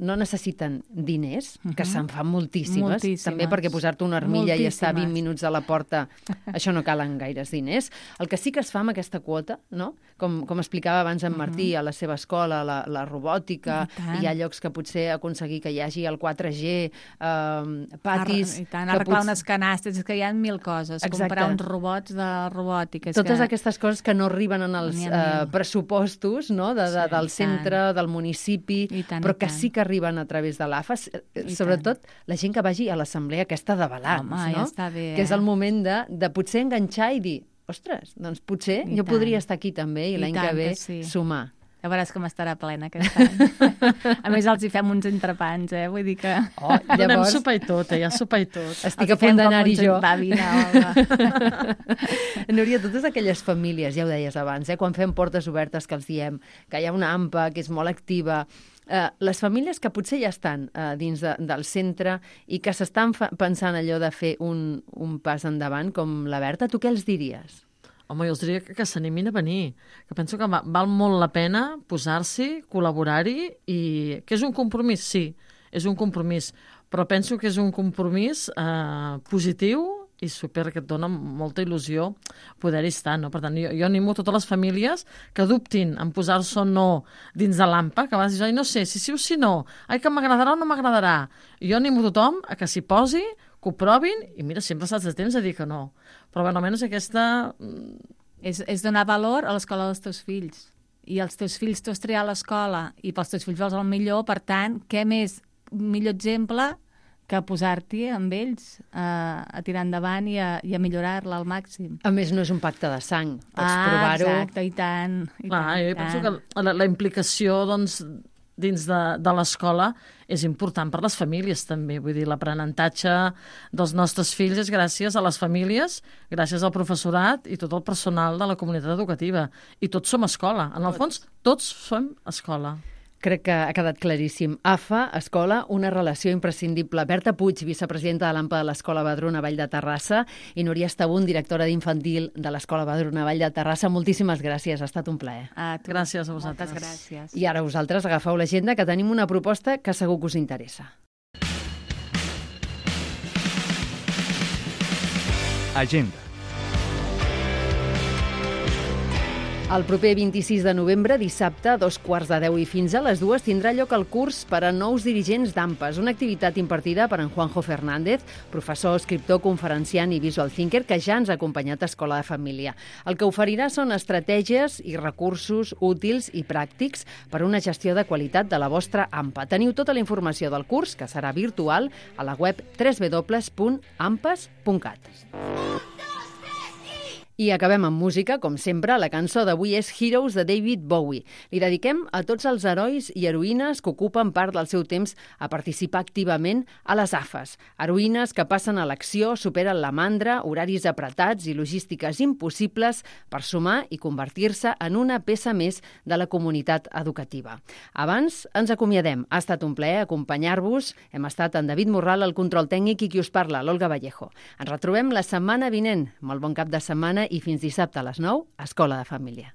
no necessiten diners, que se'n fan moltíssimes, també perquè posar-te una armilla i estar 20 minuts a la porta, això no calen gaires diners. El que sí que es fa amb aquesta quota, no?, com explicava abans en Martí, a la seva escola, la robòtica, hi ha llocs que potser aconseguir que hi hagi el 4G, patis... I tant, arreglar unes canastes, és que hi ha 1000 coses, comprar uns robots de robòtica. Totes aquestes coses que no arriben en els pressupostos, no?, del centre, del municipi, però que sí que arriben a través de l'AFA, sobretot la gent que vagi a l'assemblea aquesta de balanç, no? Que és el moment de potser enganxar i dir, ostres, doncs potser jo podria estar aquí també i l'any que ve sumar. Ja veuràs com estarà plena aquest any. A més, els hi fem uns entrepans, vull dir que... Donem sopa i tot, ja sopa i tot. Estic a punt d'anar-hi jo. Va, vine, Olga. Núria, totes aquelles famílies, ja ho deies abans, quan fem portes obertes que els diem, que hi ha una AMPA que és molt activa, les famílies que potser ja estan dins del centre i que s'estan pensant allò de fer un pas endavant, com la Berta, tu què els diries? Home, jo els diria que s'animin a venir, que penso que val molt la pena posar-s'hi, col·laborar-hi, i que és un compromís, sí, és un compromís, però penso que és un compromís positiu i super, que et dona molta il·lusió poder-hi estar, no? Per tant, jo animo totes les famílies que dubtin en posar-se o no dins de l'AMPA, que vas dir, ai, no sé, si sí o si no, ai, que m'agradarà o no m'agradarà. Jo animo tothom a que s'hi posi, que ho provin, i mira, sempre saps de temps a dir que no. Però bueno, almenys aquesta... És donar valor a l'escola dels teus fills. I els teus fills tu has triat l'escola i pels teus fills vols el millor, per tant, què més millor exemple que posar-t'hi amb ells a tirar endavant i a millorar-la al màxim. A més, no és un pacte de sang. Pots provar-ho. Exacte, i tant. Jo penso que la implicació, doncs, dins de l'escola és important per les famílies també. Vull dir, l'aprenentatge dels nostres fills és gràcies a les famílies, gràcies al professorat i tot el personal de la comunitat educativa. I tots som escola. En el fons, tots som escola. Crec que ha quedat claríssim. AFA, escola, una relació imprescindible. Berta Puig, vicepresidenta de l'AMPA de l'Escola Badruna Vall de Terrassa, i Núria Estabún, directora d'infantil de l'Escola Badruna Vall de Terrassa. Moltíssimes gràcies, ha estat un plaer. Gràcies a vosaltres. Moltes gràcies. I ara vosaltres agafeu l'agenda, que tenim una proposta que segur que us interessa. Agenda. El proper 26 de novembre, dissabte, a 2:15 i fins a les 2, tindrà lloc el curs per a nous dirigents d'AMPAs, una activitat impartida per en Juanjo Fernández, professor, escriptor, conferenciant i visual thinker, que ja ens ha acompanyat a Escola de Família. El que oferirà són estratègies i recursos útils i pràctics per a una gestió de qualitat de la vostra AMPA. Teniu tota la informació del curs, que serà virtual, a la web www.ampas.cat. I acabem amb música, com sempre. La cançó d'avui és Heroes de David Bowie. Li dediquem a tots els herois i heroïnes que ocupen part del seu temps a participar activament a les AFAs. Heroïnes que passen a l'acció, superen la mandra, horaris apretats i logístiques impossibles per sumar i convertir-se en una peça més de la comunitat educativa. Abans ens acomiadem. Ha estat un plaer acompanyar-vos. Hem estat en David Morral, el control tècnic, i qui us parla, l'Olga Vallejo. Ens retrobem la setmana vinent. Molt bon cap de setmana i fins dissabte a les 9, Escola de Família.